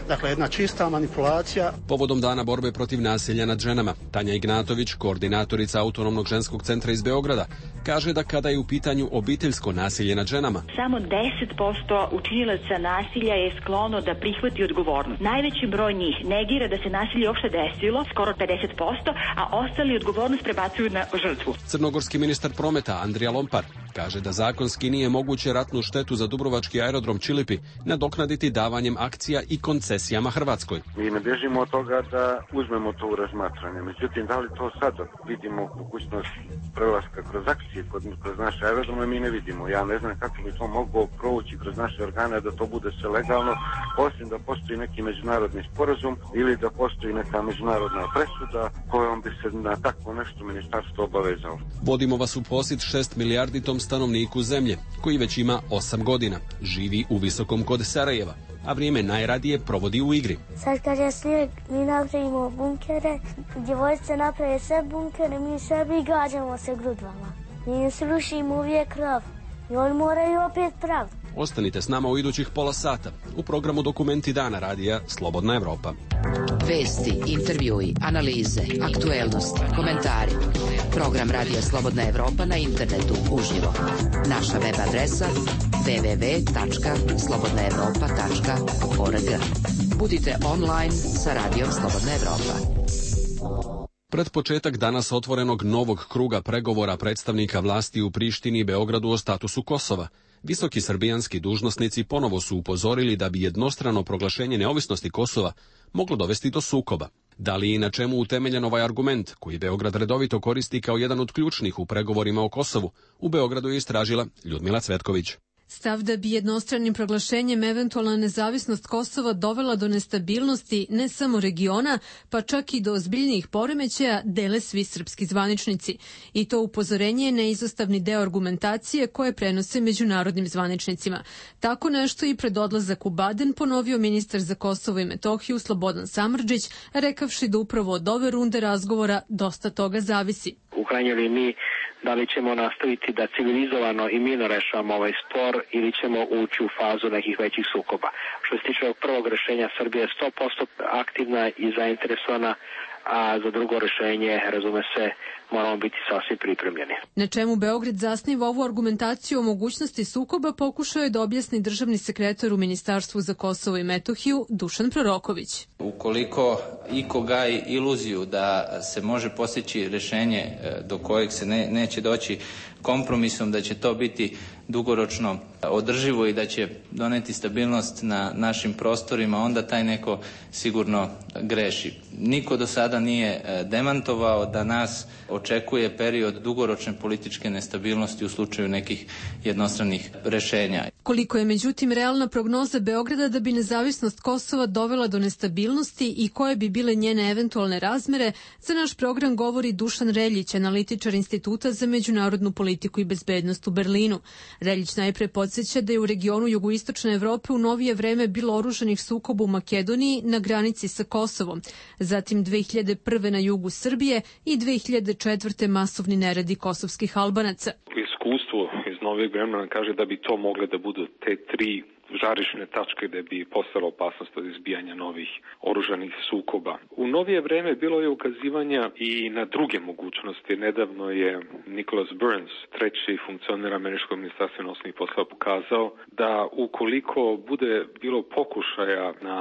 Dakle, jedna čista manipulacija. Povodom dana borbe protiv nasilja nad ženama, Tanja Ignatović, koordinatorica Autonomnog ženskog centra iz Beograda, kaže da kada je u pitanju obiteljsko nasilje nad ženama, samo deset posto učinilaca nasilja je sklono da prihvati odgovornost. Najveći broj njih negira da se nasilje uopšte desilo, skoro pedeset posto, a ostali odgovornost prebacuju na žrtvu. Crnogorski ministar prometa Andrija Lompar kaže da zakonski nije moguće ratnu štetu za dubrovački aerodrom Čilipi nadoknaditi davanjem akcija i koncesijama Hrvatskoj. Mi ne bježimo od toga da uzmemo to u razmatranje. Međutim, da li to sad vidimo mogućnost prelaska kroz akcije kroz naše aerodrome, mi ne vidimo. Ja ne znam kako bi to moglo provući kroz naše organe da to bude sve legalno, osim da postoji neki međunarodni sporazum ili da postoji neka međunarodna presuda kojom bi se na takvo nešto ministarstvo obavezalo. Vodimo vas u posjet šest milijarditom stanovniku zemlje, koji već ima osam godina, živi u Visokom kod Sarajeva, a vrijeme najradije provodi u igri. Sad kad je snijeg, mi napravimo bunkere, djevojčice naprave sve bunkere, mi sebi gađamo se grudvama. Mi srušimo uvijek krov i oni moraju opet praviti. Ostanite s nama u idućih pola sata u programu Dokumenti dana radija Slobodna Evropa. Vesti, intervjui, analize, aktuelnosti, komentari. Program radija Slobodna Evropa na internetu uživo. Naša web adresa w w w tačka slobodna evropa tačka org. Budite online sa radijom Slobodna Evropa. Pred početak danas otvorenog novog kruga pregovora predstavnika vlasti u Prištini i Beogradu o statusu Kosova, visoki srbijanski dužnosnici ponovo su upozorili da bi jednostrano proglašenje neovisnosti Kosova moglo dovesti do sukoba. Da li i na čemu utemeljen ovaj argument, koji Beograd redovito koristi kao jedan od ključnih u pregovorima o Kosovu, u Beogradu je istražila Ljudmila Cvetković. Stav da bi jednostranim proglašenjem eventualna nezavisnost Kosova dovela do nestabilnosti ne samo regiona, pa čak i do ozbiljnijih poremećaja, dele svi srpski zvaničnici. I to upozorenje je neizostavni deo argumentacije koje prenose međunarodnim zvaničnicima. Tako nešto i pred odlazak u Baden ponovio ministar za Kosovo i Metohiju Slobodan Samardžić, rekavši da upravo od ove runde razgovora dosta toga zavisi. U krajnjoj liniji, da li ćemo nastaviti da civilizovano i mirno rešavamo ovaj spor ili ćemo ući u fazu nekih većih sukoba. Što se tiče ovog prvog rešenja, Srbija je sto posto aktivna i zainteresovana, a za drugo rešenje, razume se, moramo biti sasvim pripremljeni. Na čemu Beograd zasniva ovu argumentaciju o mogućnosti sukoba pokušao je da objasni državni sekretar u Ministarstvu za Kosovo i Metohiju Dušan Proroković. Ukoliko iko gaji iluziju da se može postići rešenje do kojeg se ne, neće doći kompromisom, da će to biti dugoročno održivo i da će doneti stabilnost na našim prostorima, onda taj neko sigurno greši. Niko do sada nije demantovao da nas očekuje period dugoročne političke nestabilnosti u slučaju nekih jednostranih rešenja. Koliko je međutim realna prognoza Beograda da bi nezavisnost Kosova dovela do nestabilnosti i koje bi bile njene eventualne razmere, za naš program govori Dušan Reljić, analitičar Instituta za međunarodnu politiku i bezbednost u Berlinu. Reljić najpre podsjeća da je u regionu jugoistočne Evrope u novije vreme bilo oružanih sukoba u Makedoniji na granici sa Kosovom, zatim dve hiljade prve na jugu Srbije i dve hiljade četvrte masovni neredi kosovskih Albanaca. Iskustvo iz novijeg vremena kaže da bi to mogle da budu te tri žarišne tačke da bi postala opasnost od izbijanja novih oružanih sukoba. U novije vreme bilo je ukazivanja i na druge mogućnosti. Nedavno je Nicholas Burns, treći funkcioner američkog ministarstva inostranih poslova, pokazao da ukoliko bude bilo pokušaja na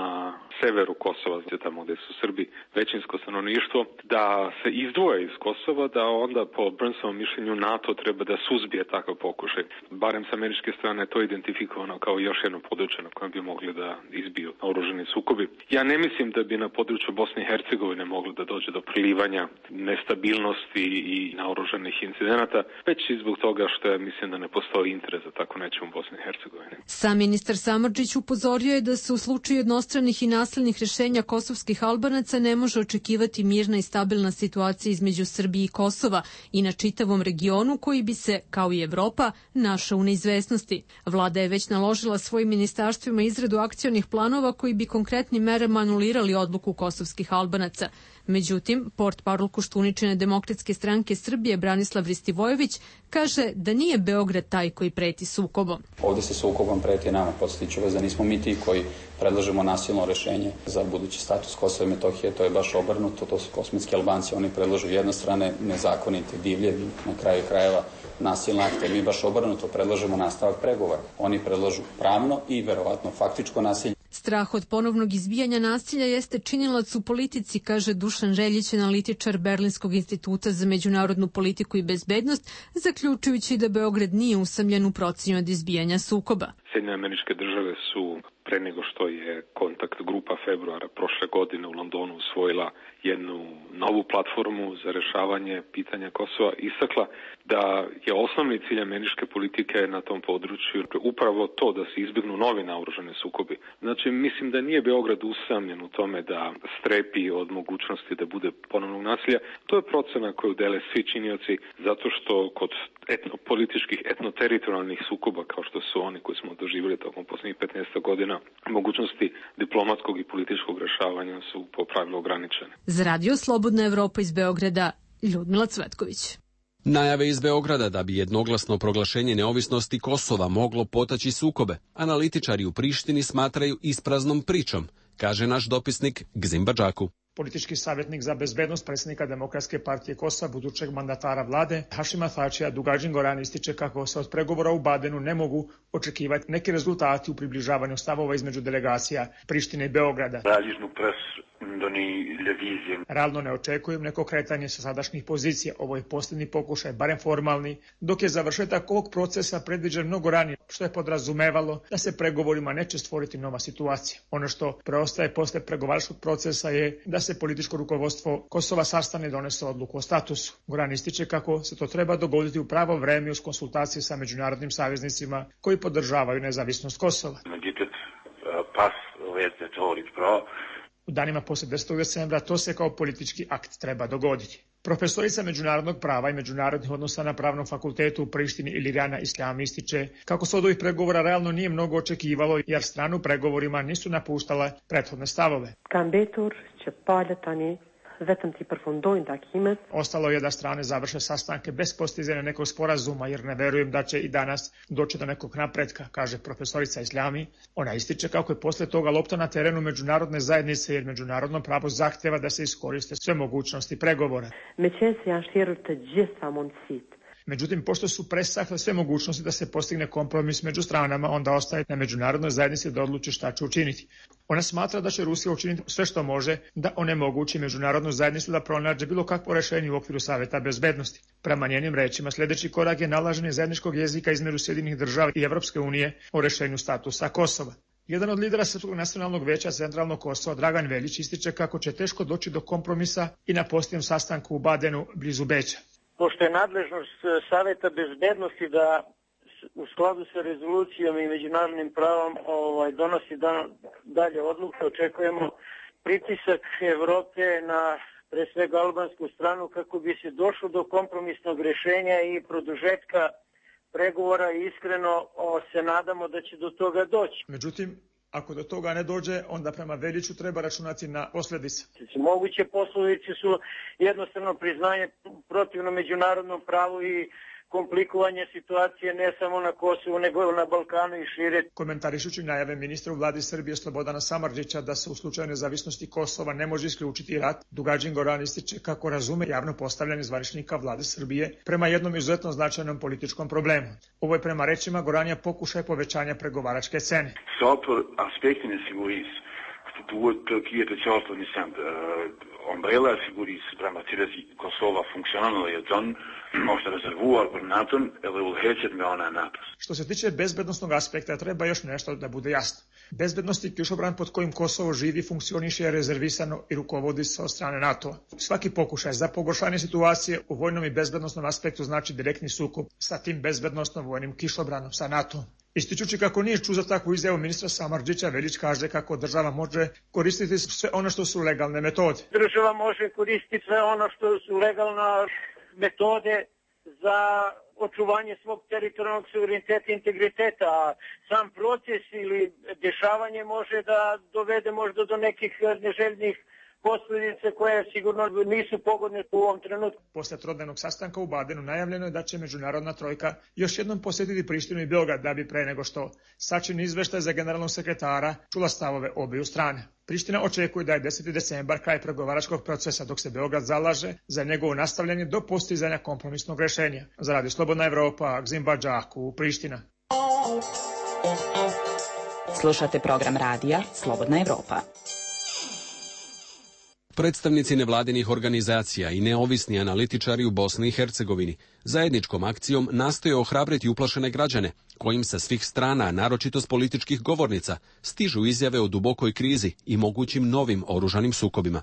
severu Kosova, tamo gde su Srbi većinsko stanovništvo, da se izdvoje iz Kosova, da onda po Burnsovom mišljenju NATO treba da suzbije takav pokušaj. Barem sa američke strane to je identifikovano kao još jedno ozbiljno područje na kojem bi mogli da izbiju oružani sukobi. Ja ne mislim da bi na području Bosne i Hercegovine moglo da dođe do prilivanja nestabilnosti i naoružanih incidenata, već i zbog toga što ja mislim da ne postoji interes za tako nečem u Bosni i Hercegovini. Sam ministar Samardžić upozorio je da se u slučaju jednostranih i nasilnih rešenja kosovskih Albanaca ne može očekivati mirna i stabilna situacija između Srbije i Kosova i na čitavom regionu koji bi se, kao i Evropa, našao u neizvesnosti. Vlada je već naložila svojim ministarstvima izradu akcionih planova koji bi konkretnim merama anulirali odluku kosovskih Albanaca. Međutim, portparol Koštuničine Demokratske stranke Srbije Branislav Ristivojević kaže da nije Beograd taj koji preti sukobom. Ovde se sukobom preti nama, podsjetiću vas da nismo mi ti koji predlažemo nasilno rešenje za budući status Kosova i Metohije, to je baš obrnuto, to su kosmetski Albanci, oni predlažu jednostrane, nezakonite, divlje, na kraju krajeva nasilne akte, mi baš obrnuto predlažemo nastavak pregovora. Oni predlažu pravno i verovatno faktičko nasilje. Strah od ponovnog izbijanja nasilja jeste činilac u politici, kaže Dušan Reljić, analitičar Berlinskog instituta za međunarodnu politiku i bezbednost, zaključujući da Beograd nije usamljen u procenu od izbijanja sukoba. Sjedinjene Američke Države su pre nego što je kontakt grupa februara prošle godine u Londonu usvojila jednu novu platformu za rešavanje pitanja Kosova, istakla da je osnovni cilj američke politike na tom području upravo to da se izbjegnu novi naoružani sukobi. Znači, mislim da nije Beograd usamljen u tome da strepi od mogućnosti da bude ponovnog nasilja. To je procena koju dele svi činioci, zato što kod etno, političkih etnoteritorijalnih sukoba, kao što su oni koji smo doživjeli tokom posljednjih petnaest godina, mogućnosti diplomatskog i političkog rešavanja su po pravilu ograničene. Za Radio Slobodna Evropa iz Beograda, Ljudmila Cvetković. Najave iz Beograda da bi jednoglasno proglašenje neovisnosti Kosova moglo potaći sukobe, analitičari u Prištini smatraju ispraznom pričom, kaže naš dopisnik Gzim Badžaku. Politički savjetnik za bezbednost predsjednika Demokratske partije Kosova, budućeg mandatara vlade Hašima Tačija, Dugađin Goran, ističe kako se od pregovora u Badenu ne mogu očekivati neki rezultati u približavanju stavova između delegacija Prištine i Beograda. Realno ne očekujem neko kretanje sa sadašnjih pozicija. Ovo je posljednji pokušaj, barem formalni, dok je završetak ovog procesa predviđen mnogo ranije, što je podrazumevalo da se pregovorima neće stvoriti nova situacija. Ono što preostaje posle pregovaračkog procesa je da se političko rukovodstvo Kosova sastane i donese odluku o statusu. Goran ističe kako se to treba dogoditi u pravo vreme uz konsultacije sa međunarodnim saveznicima koji podržavaju nezavisnost Kosova. U danima poslije desetog decembra to se kao politički akt treba dogoditi. Profesorica međunarodnog prava i međunarodnih odnosa na Pravnom fakultetu u Prištini Ilijana Isljam ističe kako se od ovih pregovora realno nije mnogo očekivalo jer stranu pregovorima nisu napuštale prethodne stavove. Ostalo je da strane završe sastanke bez postizanja nekog sporazuma jer ne verujem da će i danas doći do nekog napretka, kaže profesorica Isljami. Ona ističe kako je posle toga lopta na terenu međunarodne zajednice jer međunarodno pravo zahteva da se iskoriste sve mogućnosti pregovora. Međutim, pošto su presahle sve mogućnosti da se postigne kompromis među stranama, onda ostaje na međunarodnoj zajednici da odluči šta će učiniti. Ona smatra da će Rusija učiniti sve što može da onemogući međunarodnu zajednicu da pronađe bilo kakvo rešenje u okviru Saveta bezbednosti. Prema njenim rečima, sljedeći korak je nalaženje zajedničkog jezika između Sjedinjenih država i Evropske unije o rešenju statusa Kosova. Jedan od lidera Srpskog nacionalnog veća Centralnog Kosova, Dragan Veljić, ističe kako će teško doći do kompromisa i na posljednjem sastanku u Badenu blizu Beča. Pošto je nadležnost Saveta bezbednosti da u skladu sa rezolucijom i međunarodnim pravom ovaj, donosi dan, dalje odluke, očekujemo pritisak Evrope na pre svega albansku stranu kako bi se došlo do kompromisnog rešenja i produžetka pregovora i iskreno o, se nadamo da će do toga doći. Međutim, ako do toga ne dođe, onda prema Veljiću treba računati na posljedice. Moguće posljedice su jednostavno priznanje protivno međunarodnom pravu i komplikovanje situacije ne samo na Kosovu, nego na Balkanu i šire. Komentarišući najave ministra u vladi Srbije Slobodana Samardžića da se u slučaju nezavisnosti Kosova ne može isključiti rat, Dugađin Goran ističe kako razume javno postavljanje zvaničnika vlade Srbije prema jednom izuzetno značajnom političkom problemu. Ovo je prema rečima Goranja pokušaj povećanja pregovaračke cene. Só por aspecto nesse Struktur Türkije specialist nisem ombrella figuris prema Tiresi Kosova funkcionalno je John možda rezervuar koordinator ili ulhećet me ona napad. Što se tiče bezbednostnog aspekta, treba još nešto da bude jasno. Bezbednostni kišobran pod kojim Kosovo živi funkcioniše je rezervisano i rukovodi se od strane NATO. Svaki pokušaj za pogoršanje situacije u vojnom i bezbednostnom aspektu znači direktni sukob sa tim bezbednostnom vojnim kišobranom, sa NATO. Ističući kako nije čuo za takvu izjavu ministra Samardžića, Veljić kaže kako država može koristiti sve ono što su legalne metode. Država može koristiti sve ono što su legalne metode za očuvanje svog teritorijalnog suvereniteta i integriteta, a sam proces ili dešavanje može da dovede možda do nekih neželjnih posljedice koje sigurno nisu pogodne u ovom trenutku. Posle trodnevnog sastanka u Badenu najavljeno je da će međunarodna trojka još jednom posjetiti Prištinu i Beograd da bi pre nego što sačini izveštaj za generalnog sekretara čula stavove obiju strane. Priština očekuje da je deseti decembar kraj pregovaračkog procesa, dok se Beograd zalaže za njegovo nastavljanje do postizanja kompromisnog rešenja. Za Radio Slobodna Evropa, Gzimba Džaku, Priština. Slušate program radija Slobodna Evropa. Predstavnici nevladinih organizacija i neovisni analitičari u Bosni i Hercegovini zajedničkom akcijom nastoje ohrabriti uplašene građane, kojim sa svih strana, naročito s političkih govornica, stižu izjave o dubokoj krizi i mogućim novim oružanim sukobima.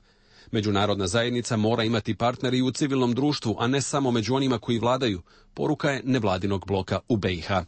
Međunarodna zajednica mora imati partneri u civilnom društvu, a ne samo među onima koji vladaju, poruka je nevladinog bloka u B i H.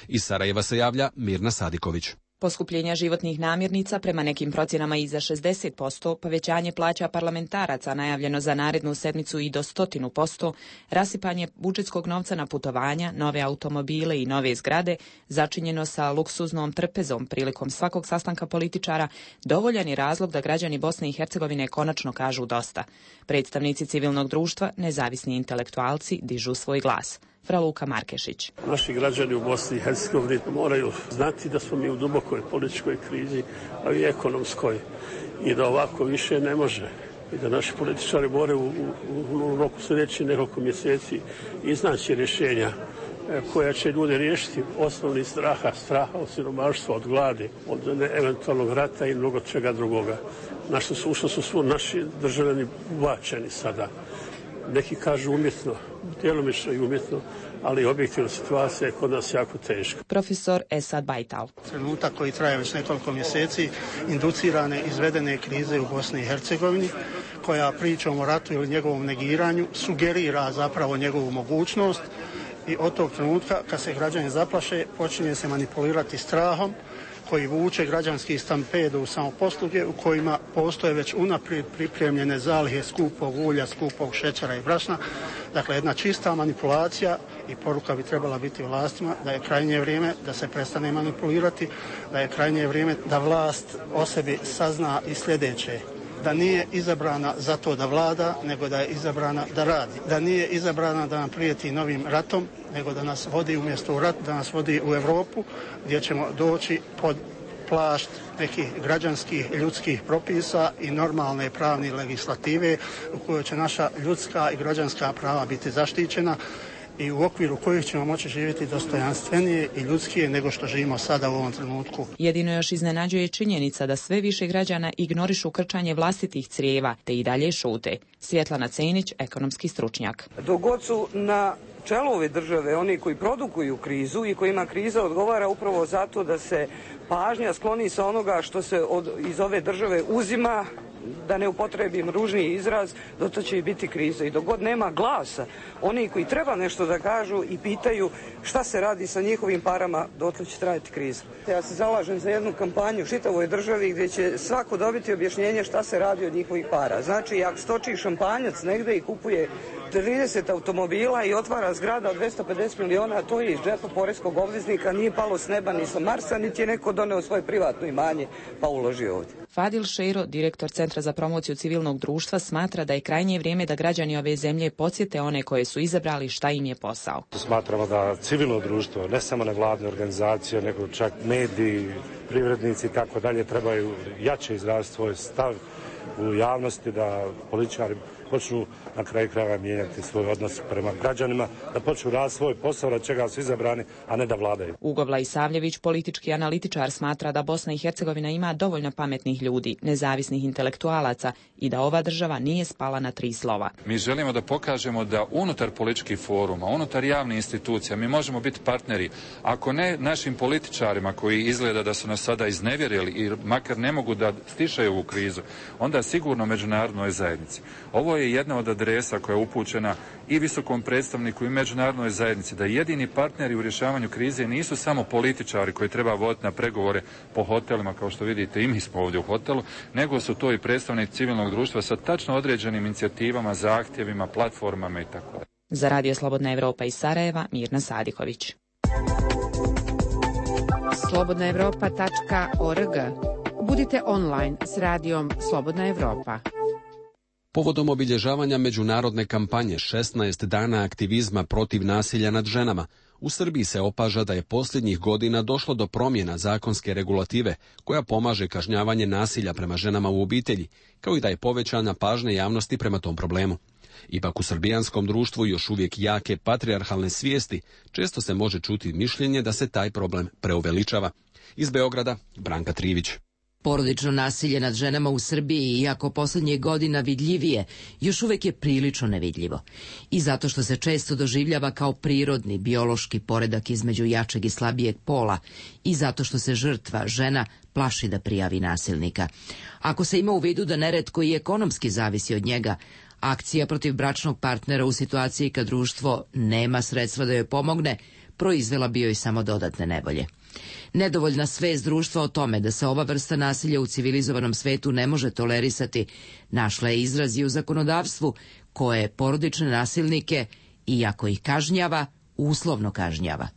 Iz Sarajeva se javlja Mirna Sadiković. Poskupljenja životnih namirnica prema nekim procjenama i za šezdeset posto, povećanje plaća parlamentaraca najavljeno za narednu sedmicu i do sto posto, rasipanje budžetskog novca na putovanja, nove automobile i nove zgrade, začinjeno sa luksuznom trpezom prilikom svakog sastanka političara, dovoljan je razlog da građani Bosne i Hercegovine konačno kažu dosta. Predstavnici civilnog društva, nezavisni intelektualci dižu svoj glas. Fra Luka Markešić. Naši građani u Bosni i Hercegovini moraju znati da smo mi u dubokoj političkoj krizi, a i ekonomskoj, i da ovako više ne može. I da naši političari moraju u, u, u roku sljedećih nekoliko mjeseci iznaći rješenja koja će ljude riješiti osnovnih straha, straha od siromaštva, od gladi, od eventualnog rata i mnogo čega drugoga. Našto su, što su svu naši državljani ubačeni sada. Neki kažu umjetno, djelomično i umjetno, ali objektivna situacija je kod nas jako teška. Profesor Esad Bajtal. Trenutak koji traje već nekoliko mjeseci, inducirane izvedene krize u Bosni i Hercegovini, koja pričom o ratu ili njegovom negiranju sugerira zapravo njegovu mogućnost, i od tog trenutka kad se građani zaplaše počinje se manipulirati strahom koji vuče građanski stampedo u samoposluge u kojima postoje već unaprijed pripremljene zalihe skupog ulja, skupog šećera i brašna. Dakle, jedna čista manipulacija, i poruka bi trebala biti vlastima da je krajnje vrijeme da se prestane manipulirati, da je krajnje vrijeme da vlast o sebi sazna i sljedeće: da nije izabrana zato da vlada, nego da je izabrana da radi. Da nije izabrana da nam prijeti novim ratom, nego da nas vodi umjesto u rat, da nas vodi u Europu, gdje ćemo doći pod plašt nekih građanskih ljudskih propisa i normalne pravne legislative u kojoj će naša ljudska i građanska prava biti zaštićena i u okviru kojih ćemo moći živjeti dostojanstvenije i ljudskije nego što živimo sada u ovom trenutku. Jedino još iznenađuje činjenica da sve više građana ignorišu krčanje vlastitih crijeva, te i dalje šute. Svjetlana Cenić, ekonomski stručnjak. Dok god su na čelu ove države oni koji produkuju krizu i kojima kriza odgovara upravo zato da se pažnja skloni sa onoga što se od, iz ove države uzima, da ne upotrebim ružniji izraz, doto će i biti kriza. I dok god nema glasa, oni koji treba nešto da kažu i pitaju šta se radi sa njihovim parama, dotle će trajati kriza. Ja se zalažem za jednu kampanju u čitavoj državi gdje će svako dobiti objašnjenje šta se radi od njihovih para. Znači, ako stoči šampanjac negde i kupuje trideset automobila i otvara zgrada od dvesta pedeset miliona, to je iz džepa poreskog obveznika, nije palo s neba ni sa Marsa, niti je neko doneo svoje privatno imanje pa uložio ovdje. Fadil Šeiro, direktor Centra za promociju civilnog društva, smatra da je krajnje vrijeme da građani ove zemlje podsjete one koje su izabrali šta im je posao. Smatramo da civilno društvo, ne samo nevladne organizacije, nego čak mediji, privrednici i tako dalje trebaju jače izraziti svoj stav u javnosti, da političari počnu na kraju krajeva mijenjati svoj odnos prema građanima, da počnu raditi svoj posao, da čega su izabrani, a ne da vladaju. Ugobla Isavljević, politički analitičar, smatra da Bosna i Hercegovina ima dovoljno pametnih ljudi, nezavisnih intelektualaca i da ova država nije spala na tri slova. Mi želimo da pokažemo da unutar političkih foruma, unutar javnih institucija mi možemo biti partneri, ako ne našim političarima koji izgleda da su nas sada iznevjerili i makar ne mogu da stišaju ovu krizu, onda sigurno međunarodnoj zajednici. Ovo je jedna od adresa koja je upućena i visokom predstavniku i međunarodnoj zajednici, da jedini partneri u rješavanju krize nisu samo političari koji treba voditi na pregovore po hotelima, kao što vidite i mi smo ovdje u hotelu, nego su to i predstavnici civilnog društva sa tačno određenim inicijativama, zahtjevima, platformama i tako dalje. Za Radio Slobodna Evropa iz Sarajeva, Mirna Sadiković. slobodna evropa tačka org. Budite online s radijom Slobodna Evropa. Povodom obilježavanja međunarodne kampanje šesnaest dana aktivizma protiv nasilja nad ženama, u Srbiji se opaža da je posljednjih godina došlo do promjena zakonske regulative koja pomaže kažnjavanje nasilja prema ženama u obitelji, kao i da je povećana pažnja javnosti prema tom problemu. Ipak u srbijanskom društvu još uvijek jake patrijarhalne svijesti, često se može čuti mišljenje da se taj problem preuveličava. Iz Beograda, Branka Trivić. Porodično nasilje nad ženama u Srbiji, iako posljednjih godina vidljivije, još uvijek je prilično nevidljivo. I zato što se često doživljava kao prirodni, biološki poredak između jačeg i slabijeg pola, i zato što se žrtva, žena, plaši da prijavi nasilnika. Ako se ima u vidu da neretko i ekonomski zavisi od njega, akcija protiv bračnog partnera u situaciji kad društvo nema sredstva da joj pomogne, proizvela bi joj samo dodatne nevolje. Nedovoljna svest društva o tome da se ova vrsta nasilja u civilizovanom svetu ne može tolerisati, našla je izraz i u zakonodavstvu koje porodične nasilnike, iako ih kažnjava, uslovno kažnjava.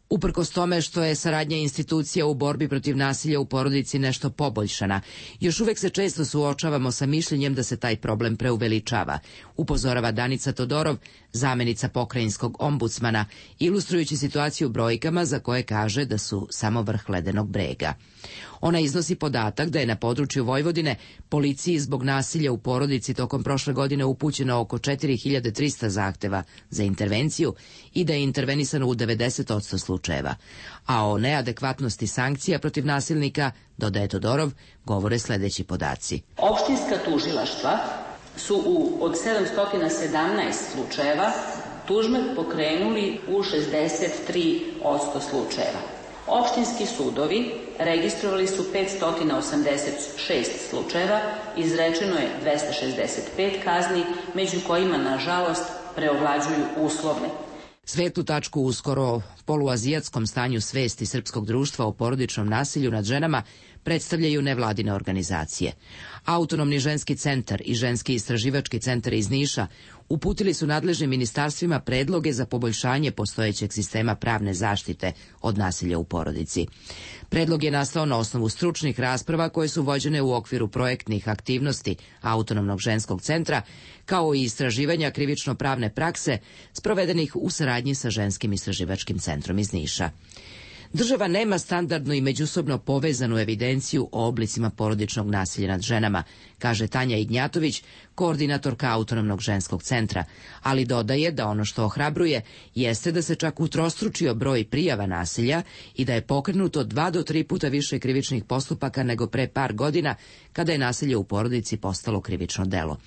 Uprkos tome što je saradnja institucija u borbi protiv nasilja u porodici nešto poboljšana, još uvijek se često suočavamo sa mišljenjem da se taj problem preuveličava, upozorava Danica Todorov, zamenica pokrajinskog ombudsmana, ilustrujući situaciju brojkama za koje kaže da su samo vrh ledenog brega. Ona iznosi podatak da je na području Vojvodine policiji zbog nasilja u porodici tokom prošle godine upućeno oko četiri hiljade trista zahteva za intervenciju i da je intervenisano u devedeset posto slučajeva. A o neadekvatnosti sankcija protiv nasilnika, dodaje Todorov, govore sljedeći podaci. Opštinska tužilaštva su u, od sedamsto sedamnaest slučajeva tužbe pokrenuli u šezdeset tri posto slučajeva. Opštinski sudovi registrovali su petsto osamdeset šest slučajeva, izrečeno je dvesta šezdeset pet kazni, među kojima, nažalost, preovlađuju uslovne. Svetlu tačku u skoro poluazijatskom stanju svesti srpskog društva o porodičnom nasilju nad ženama predstavljaju nevladine organizacije. Autonomni ženski centar i ženski istraživački centar iz Niša uputili su nadležnim ministarstvima predloge za poboljšanje postojećeg sistema pravne zaštite od nasilja u porodici. Predlog je nastao na osnovu stručnih rasprava koje su vođene u okviru projektnih aktivnosti Autonomnog ženskog centra, kao i istraživanja krivično-pravne prakse sprovedenih u saradnji sa ženskim istraživačkim centrom iz Niša. Država nema standardnu i međusobno povezanu evidenciju o oblicima porodičnog nasilja nad ženama, kaže Tanja Ignjatović, koordinatorka Autonomnog ženskog centra, ali dodaje da ono što ohrabruje jeste da se čak utrostručio broj prijava nasilja i da je pokrenuto dva do tri puta više krivičnih postupaka nego pre par godina, kada je nasilje u porodici postalo krivično delo.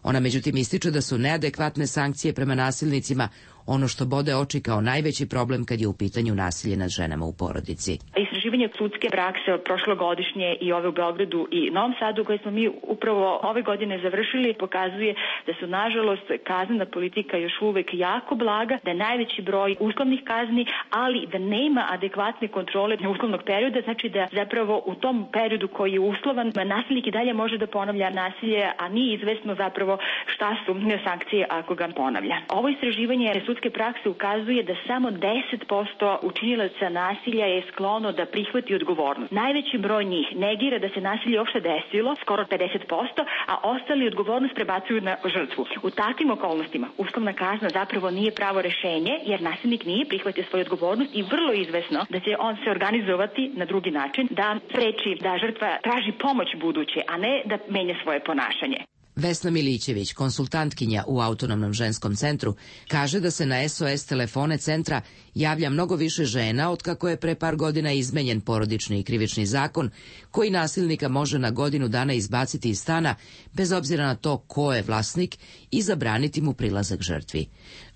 Ona međutim ističe da su neadekvatne sankcije prema nasilnicima ono što bode oči kao najveći problem kad je u pitanju nasilje nad ženama u porodici. Istraživanje sudske prakse od prošlogodišnje i ove u Beogradu i Novom Sadu koje smo mi upravo ove godine završili pokazuje da su nažalost kaznena politika još uvek jako blaga, da je najveći broj uslovnih kazni, ali da nema adekvatne kontrole uslovnog perioda, znači da zapravo u tom periodu koji je uslovan nasilnik i dalje može da ponavlja nasilje, a nije izvesno zapravo šta su sankcije ako ga ponavlja. Ovo istraživanje sudske prakse ukazuje da samo deset posto učinilaca nasilja je sklono da prihvati odgovornost. Najveći broj njih negira da se nasilje uopšte desilo, skoro pedeset posto, a ostali odgovornost prebacuju na žrtvu. U takvim okolnostima uslovna kazna zapravo nije pravo rešenje, jer nasilnik nije prihvatio svoju odgovornost i vrlo izvesno da će on se organizovati na drugi način, da spreči da žrtva traži pomoć buduće, a ne da menja svoje ponašanje. Vesna Milićević, konsultantkinja u Autonomnom ženskom centru, kaže da se na S O S telefone centra javlja mnogo više žena otkako je pre par godina izmenjen porodični i krivični zakon koji nasilnika može na godinu dana izbaciti iz stana bez obzira na to ko je vlasnik i zabraniti mu prilazak žrtvi.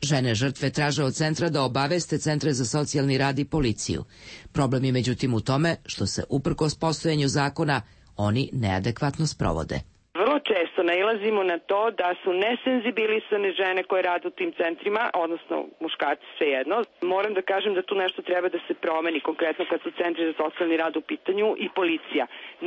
Žene žrtve traže od centra da obaveste centre za socijalni rad i policiju. Problem je međutim u tome što se uprkos postojanju zakona oni neadekvatno sprovode. Vrlo često nailazimo na to da su nesenzibilisane žene koje rade u tim centrima, odnosno muškarci svejedno. Moram da kažem da tu nešto treba da se promeni, konkretno kad su centri za socijalni rad u pitanju i policija.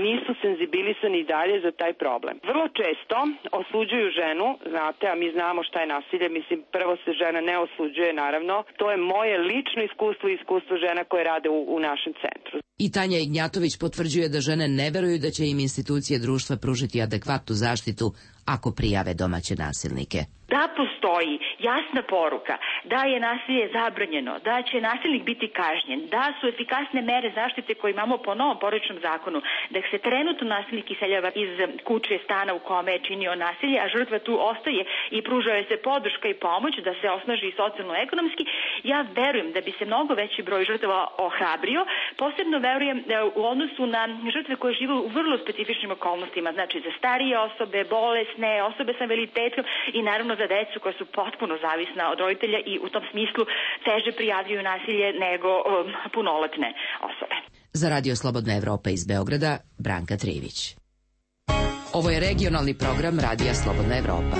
Nisu senzibilisani i dalje za taj problem. Vrlo često osuđuju ženu, znate, a mi znamo šta je nasilje, mislim prvo se žena ne osuđuje naravno. To je moje lično iskustvo i iskustvo žena koje rade u, u našem centru. I Tanja Ignjatović potvrđuje da žene ne veruju da će im institucije društva pružiti adekvatnu zaštitu ako prijave domaće nasilnike. Da postoji jasna poruka da je nasilje zabranjeno, da će nasilnik biti kažnjen, da su efikasne mere zaštite koje imamo po novom porodičnom zakonu, da se trenutno nasilnik iseljava iz kuće, stana u kome je činio nasilje, a žrtva tu ostaje i pruža joj se podrška i pomoć da se osnaži i socijalno-ekonomski, ja verujem da bi se mnogo veći broj žrtava ohrabrio. Posebno verujem u odnosu na žrtve koje žive u vrlo specifičnim okolnostima, znači za starije osobe, bolesne, osobe sa invaliditetom i naravno za decu koja su potpuno zavisna od roditelja i u tom smislu teže prijavljuju nasilje nego um, punoletne osobe. Za Radio Slobodna Evropa iz Beograda, Branka Trivić. Ovo je regionalni program Radija Slobodna Evropa.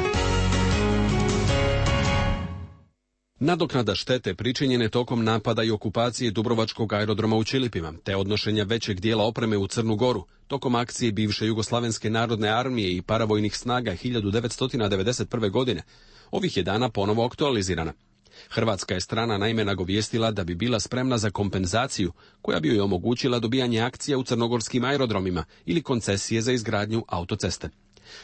Nadoknada štete pričinjene tokom napada i okupacije Dubrovačkog aerodroma u Ćilipima, te odnošenja većeg dijela opreme u Crnu Goru, tokom akcije bivše Jugoslavenske narodne armije i paravojnih snaga hiljadu devetsto devedeset prve. godine, ovih je dana ponovo aktualizirana. Hrvatska je strana naime nagovijestila da bi bila spremna za kompenzaciju koja bi joj omogućila dobijanje akcija u crnogorskim aerodromima ili koncesije za izgradnju autoceste.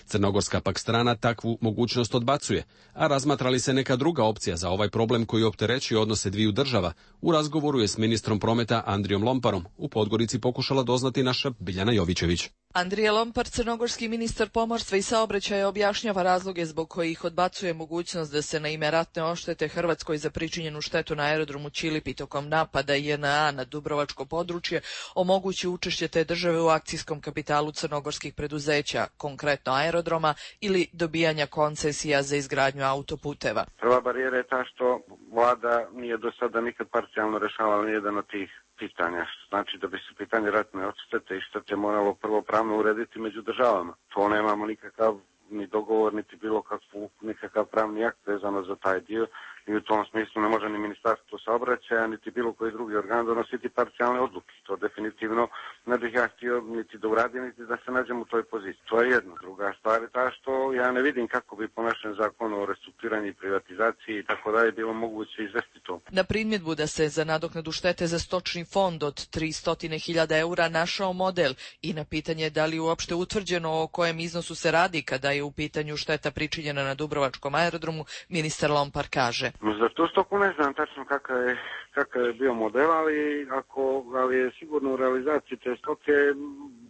Crnogorska pak strana takvu mogućnost odbacuje, a razmatra li se neka druga opcija za ovaj problem koji opterećuje odnose dviju država, u razgovoru je s ministrom prometa Andrijom Lomparom u Podgorici pokušala doznati naša Biljana Jovićević. Andrija Lompar, crnogorski ministar pomorstva i saobraćaja, objašnjava razloge zbog kojih odbacuje mogućnost da se na ime ratne odštete Hrvatskoj za pričinjenu štetu na aerodromu Ćilipi tokom napada J N A na Dubrovačko područje omogući učešće te države u akcijskom kapitalu crnogorskih preduzeća, konkretno aerodroma, ili dobijanja koncesija za izgradnju autoputeva. Prva barijera je ta što vlada nije do sada nikad parcijalno rešavala nijedan od tih pitanja. Znači da bi se pitanje ratne odštete i štete moralo prvo pravno urediti među državama. To nemamo nikakav ni dogovor, niti bilo kakvu, nikakav pravni akt vezano za taj dio. I u tom smislu ne može ni ministarstvo saobraćaja, niti bilo koji drugi organ donositi parcijalne odluke. To definitivno ne bih ja htio niti da uradim, niti da se nađem u toj poziciji. To je jedna. Druga stvar je ta što ja ne vidim kako bi po našem zakonu o restrukturiranju i privatizaciji i tako dalje bilo moguće izvesti to. Na primjedbu da se za nadoknadu štete za stočni fond od tristo hiljada eura našao model i na pitanje da li uopšte utvrđeno o kojem iznosu se radi kada je u pitanju šteta pričinjena na Dubrovačkom aerodromu, ministar Lompar kaže. Za tu stoku ne znam tačno kakav je, kakav je bio model, ali, ako, ali je sigurno u realizaciji te stoke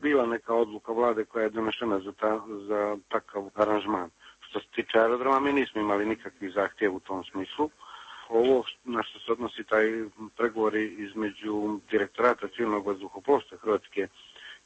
bila neka odluka vlade koja je donešena za, ta, za takav aranžman. Što se tiče aerodroma, mi nismo imali nikakvih zahtjeva u tom smislu. Ovo na što se odnosi taj pregovori između direktorata civilnog vazduhoplovstva Hrvatske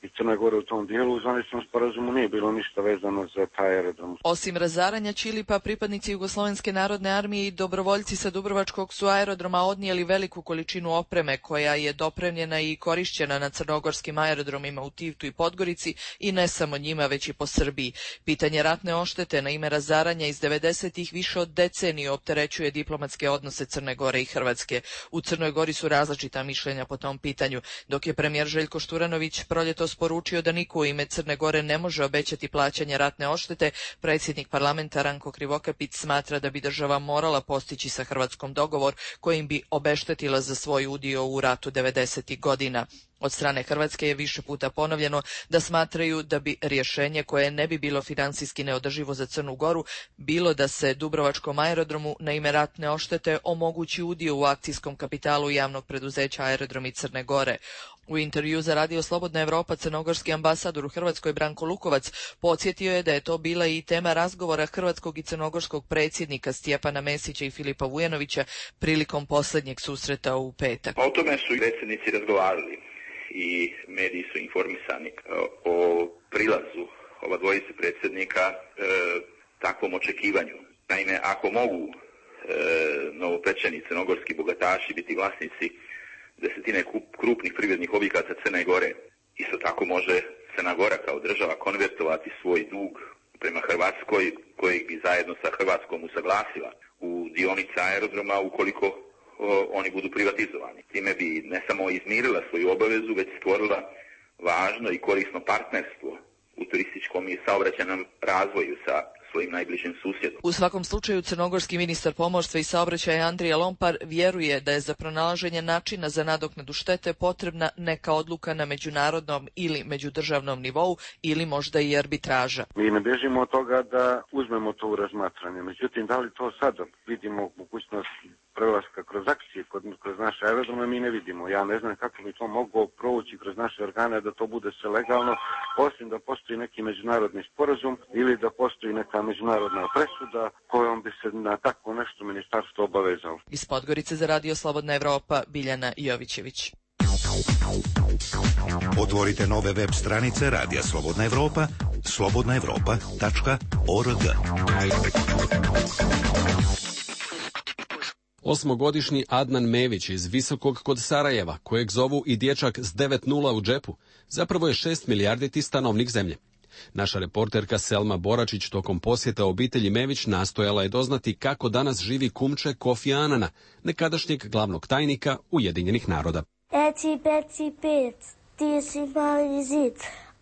i Crne Gore u tom dijelu, u zvaničnom sporazumu nije bilo ništa vezano za taj aerodrom. Osim razaranja Ćilipa, pripadnici Jugoslovenske narodne armije i dobrovoljci sa Dubrovačkog su aerodroma odnijeli veliku količinu opreme koja je dopremljena i korišćena na crnogorskim aerodromima u Tivtu i Podgorici i ne samo njima, već i po Srbiji. Pitanje ratne odštete na ime razaranja iz devedesetih više od deceniju opterećuje diplomatske odnose Crne Gore i Hrvatske. U Crnoj Gori su različita mišljenja po tom pitanju, dok je premijer Željko Šturanović proljetos poručio da niko u ime Crne Gore ne može obećati plaćanje ratne odštete, predsjednik parlamenta Ranko Krivokapić smatra da bi država morala postići sa Hrvatskom dogovor kojim bi obeštetila za svoj udio u ratu devedesetih godina. Od strane Hrvatske je više puta ponovljeno da smatraju da bi rješenje koje ne bi bilo financijski neodrživo za Crnu Goru bilo da se Dubrovačkom aerodromu na ime ratne oštete omogući udio u akcijskom kapitalu javnog preduzeća Aerodromi Crne Gore. U intervju za Radio Slobodna Evropa crnogorski ambasador u Hrvatskoj Branko Lukovac podsjetio je da je to bila i tema razgovora hrvatskog i crnogorskog predsjednika Stjepana Mesića i Filipa Vujanovića prilikom posljednjeg susreta u petak. O tome su predsjednici razgovarali i mediji su informisani o prilazu ova dvojice predsjednika e, takvom očekivanju. Naime, ako mogu e, novopečeni crnogorski bogataši biti vlasnici desetine krupnih privrednih objekata Crne Gore, isto tako može Crna Gora kao država konvertovati svoj dug prema Hrvatskoj, kojeg bi zajedno sa Hrvatskom usaglasila u dionice aerodroma ukoliko o, oni budu privatizovani. Time bi ne samo izmirila svoju obavezu, već stvorila važno i korisno partnerstvo u turističkom i saobraćajnom razvoju sa svojim najbližim susjedom. U svakom slučaju crnogorski ministar pomorstva i saobraćaja Andrija Lompar vjeruje da je za pronalaženje načina za nadoknadu štete potrebna neka odluka na međunarodnom ili međudržavnom nivou ili možda i arbitraža. Mi ne bježimo od toga da uzmemo to u razmatranje. Međutim, da li to sad vidimo mogućnost prelaska kroz akcije, kroz naše aerodrome, mi ne vidimo. Ja ne znam kako bi to moglo provući kroz naše organe da to bude sve legalno, osim da postoji neki međunarodni sporazum ili da postoji neka međunarodna presuda kojom bi se na tako nešto ministarstvo obavezalo. Iz Podgorice za Radio Slobodna Evropa, Biljana Jovićević. Otvorite nove web stranice Radija Slobodna Evropa, slobodna evropa tačka org. Osmogodišnji Adnan Mević iz Visokog kod Sarajeva, kojeg zovu i dječak s devet nula u džepu, zapravo je šest milijarditi stanovnik zemlje. Naša reporterka Selma Boračić tokom posjeta obitelji Mević nastojala je doznati kako danas živi kumče Kofi Anana, nekadašnjeg glavnog tajnika Ujedinjenih naroda. Eci, peci, pet, ti si mali zid,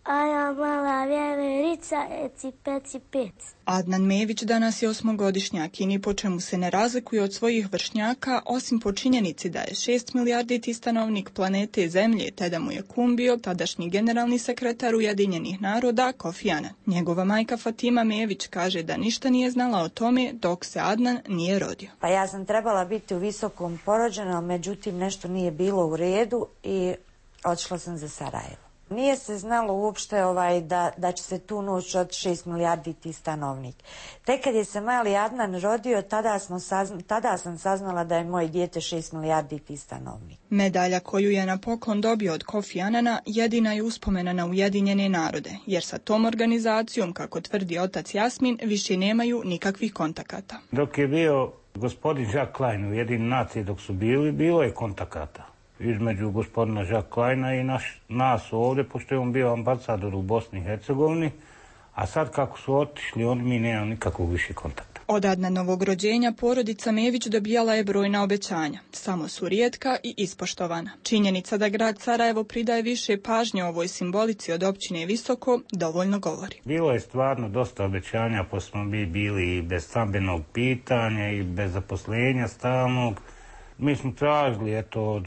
a ja mala vjeverica, eci, peci, pet. Adnan Mević danas je osmogodišnjak i ni po čemu se ne razlikuje od svojih vršnjaka, osim po činjenici da je šest milijarditi stanovnik planete Zemlje, te da mu je kum bio tadašnji generalni sekretar Ujedinjenih naroda Kofi Anan. Njegova majka Fatima Mević kaže da ništa nije znala o tome dok se Adnan nije rodio. Pa ja sam trebala biti u Visokom porođena, međutim nešto nije bilo u redu i otišla sam za Sarajevo. Nije se znalo uopšte ovaj, da, da će se tu noć od šest milijardi ti stanovnik. Tek kad je se mali Adnan rodio, tada, smo sazna, tada sam saznala da je moje dijete šest milijardi ti stanovnik. Medalja koju je na poklon dobio od Kofi Anana jedina je uspomena na Ujedinjene narode, jer sa tom organizacijom, kako tvrdi otac Jasmin, više nemaju nikakvih kontakata. Dok je bio gospodin Jacques Klein u Ujedinjene nacije, dok su bili, bilo je kontakata između gospodina Jacques Kleina i naš, nas ovdje, pošto je on bio ambasador u Bosni i Hercegovini, a sad kako su otišli, on mi nemam nikakvog više kontakta. Od Adnanovog rođenja porodica Mević dobijala je brojna obećanja, samo su rijetka i ispoštovana. Činjenica da grad Sarajevo pridaje više pažnje ovoj simbolici od općine Visoko dovoljno govori. Bilo je stvarno dosta obećanja, pa smo mi bili i bez stambenog pitanja i bez zaposlenja stalnog. Mi smo tražili eto od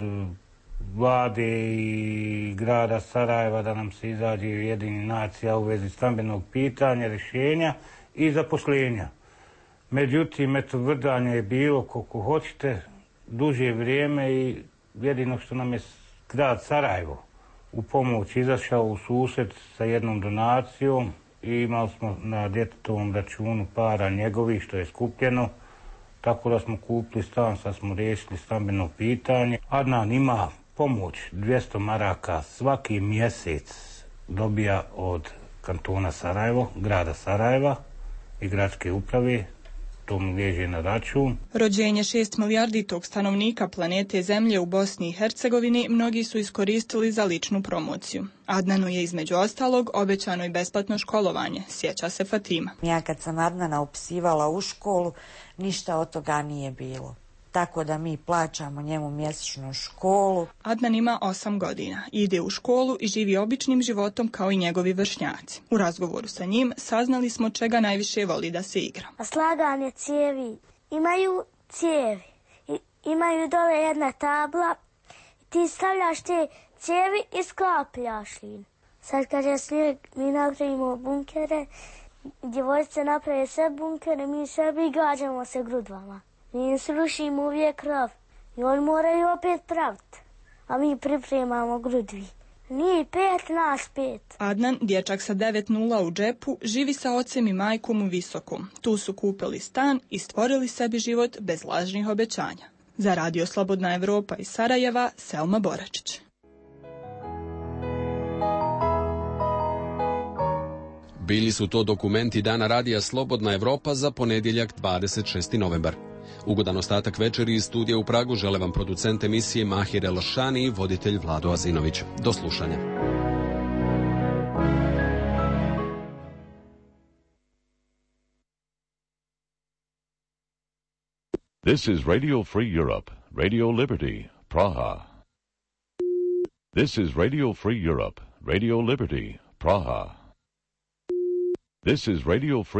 vlade i grada Sarajeva da nam se izađe Ujedinjenih nacija u vezi stambenog pitanja, rješenja i zaposlenja. Međutim, eto, vrdanje je bilo koliko hoćete, duže vrijeme i jedino što nam je grad Sarajevo u pomoć izašao u susret sa jednom donacijom i imali smo na djetetovom računu para njegovih što je skupljeno. Tako da smo kupili stan, sad smo riješili stambeno pitanje. Adnan ima pomoć dvjesto maraka svaki mjesec dobija od kantona Sarajevo, grada Sarajeva i gradske uprave. To mu liježe na račun. Rođenje šest milijarditog stanovnika planete Zemlje u Bosni i Hercegovini mnogi su iskoristili za ličnu promociju. Adnanu je između ostalog obećano i besplatno školovanje, sjeća se Fatima. Ja kad sam Adnana upisivala u školu, ništa od toga nije bilo. Tako da mi plaćamo njemu mjesečnu školu. Adnan ima osam godina, ide u školu i živi običnim životom kao i njegovi vršnjaci. U razgovoru sa njim saznali smo čega najviše voli da se igra. A slaganje cijevi. Imaju cijevi. I, imaju dole jedna tabla. ti stavljaš te cijevi i sklapljaš li. Sad kad je snijeg, mi napravimo bunkere, djevojčice naprave sve bunkere, mi sebi gađamo se grudvama. Mi im srušimo uvijek krov i oni moraju opet praviti, a mi pripremamo grudvi. Nije pet, nas pet. Adnan, dječak sa devet nula u džepu, živi sa ocem i majkom u Visokom. Tu su kupili stan i stvorili sebi život bez lažnih obećanja. Za Radio Slobodna Evropa iz Sarajeva, Selma Boračić. Bili su to dokumenti Dana Radija Slobodna Evropa za ponedjeljak dvadeset šesti novembar. Ugodan ostatak večeri iz studija u Pragu žele vam producent emisije Mahir Elšani i voditelj Vlado Azinović. Do slušanja. This is Radio Free Europe, Radio Liberty, Praha. This is Radio Free Europe, Radio Liberty, Praha. This is Radio Free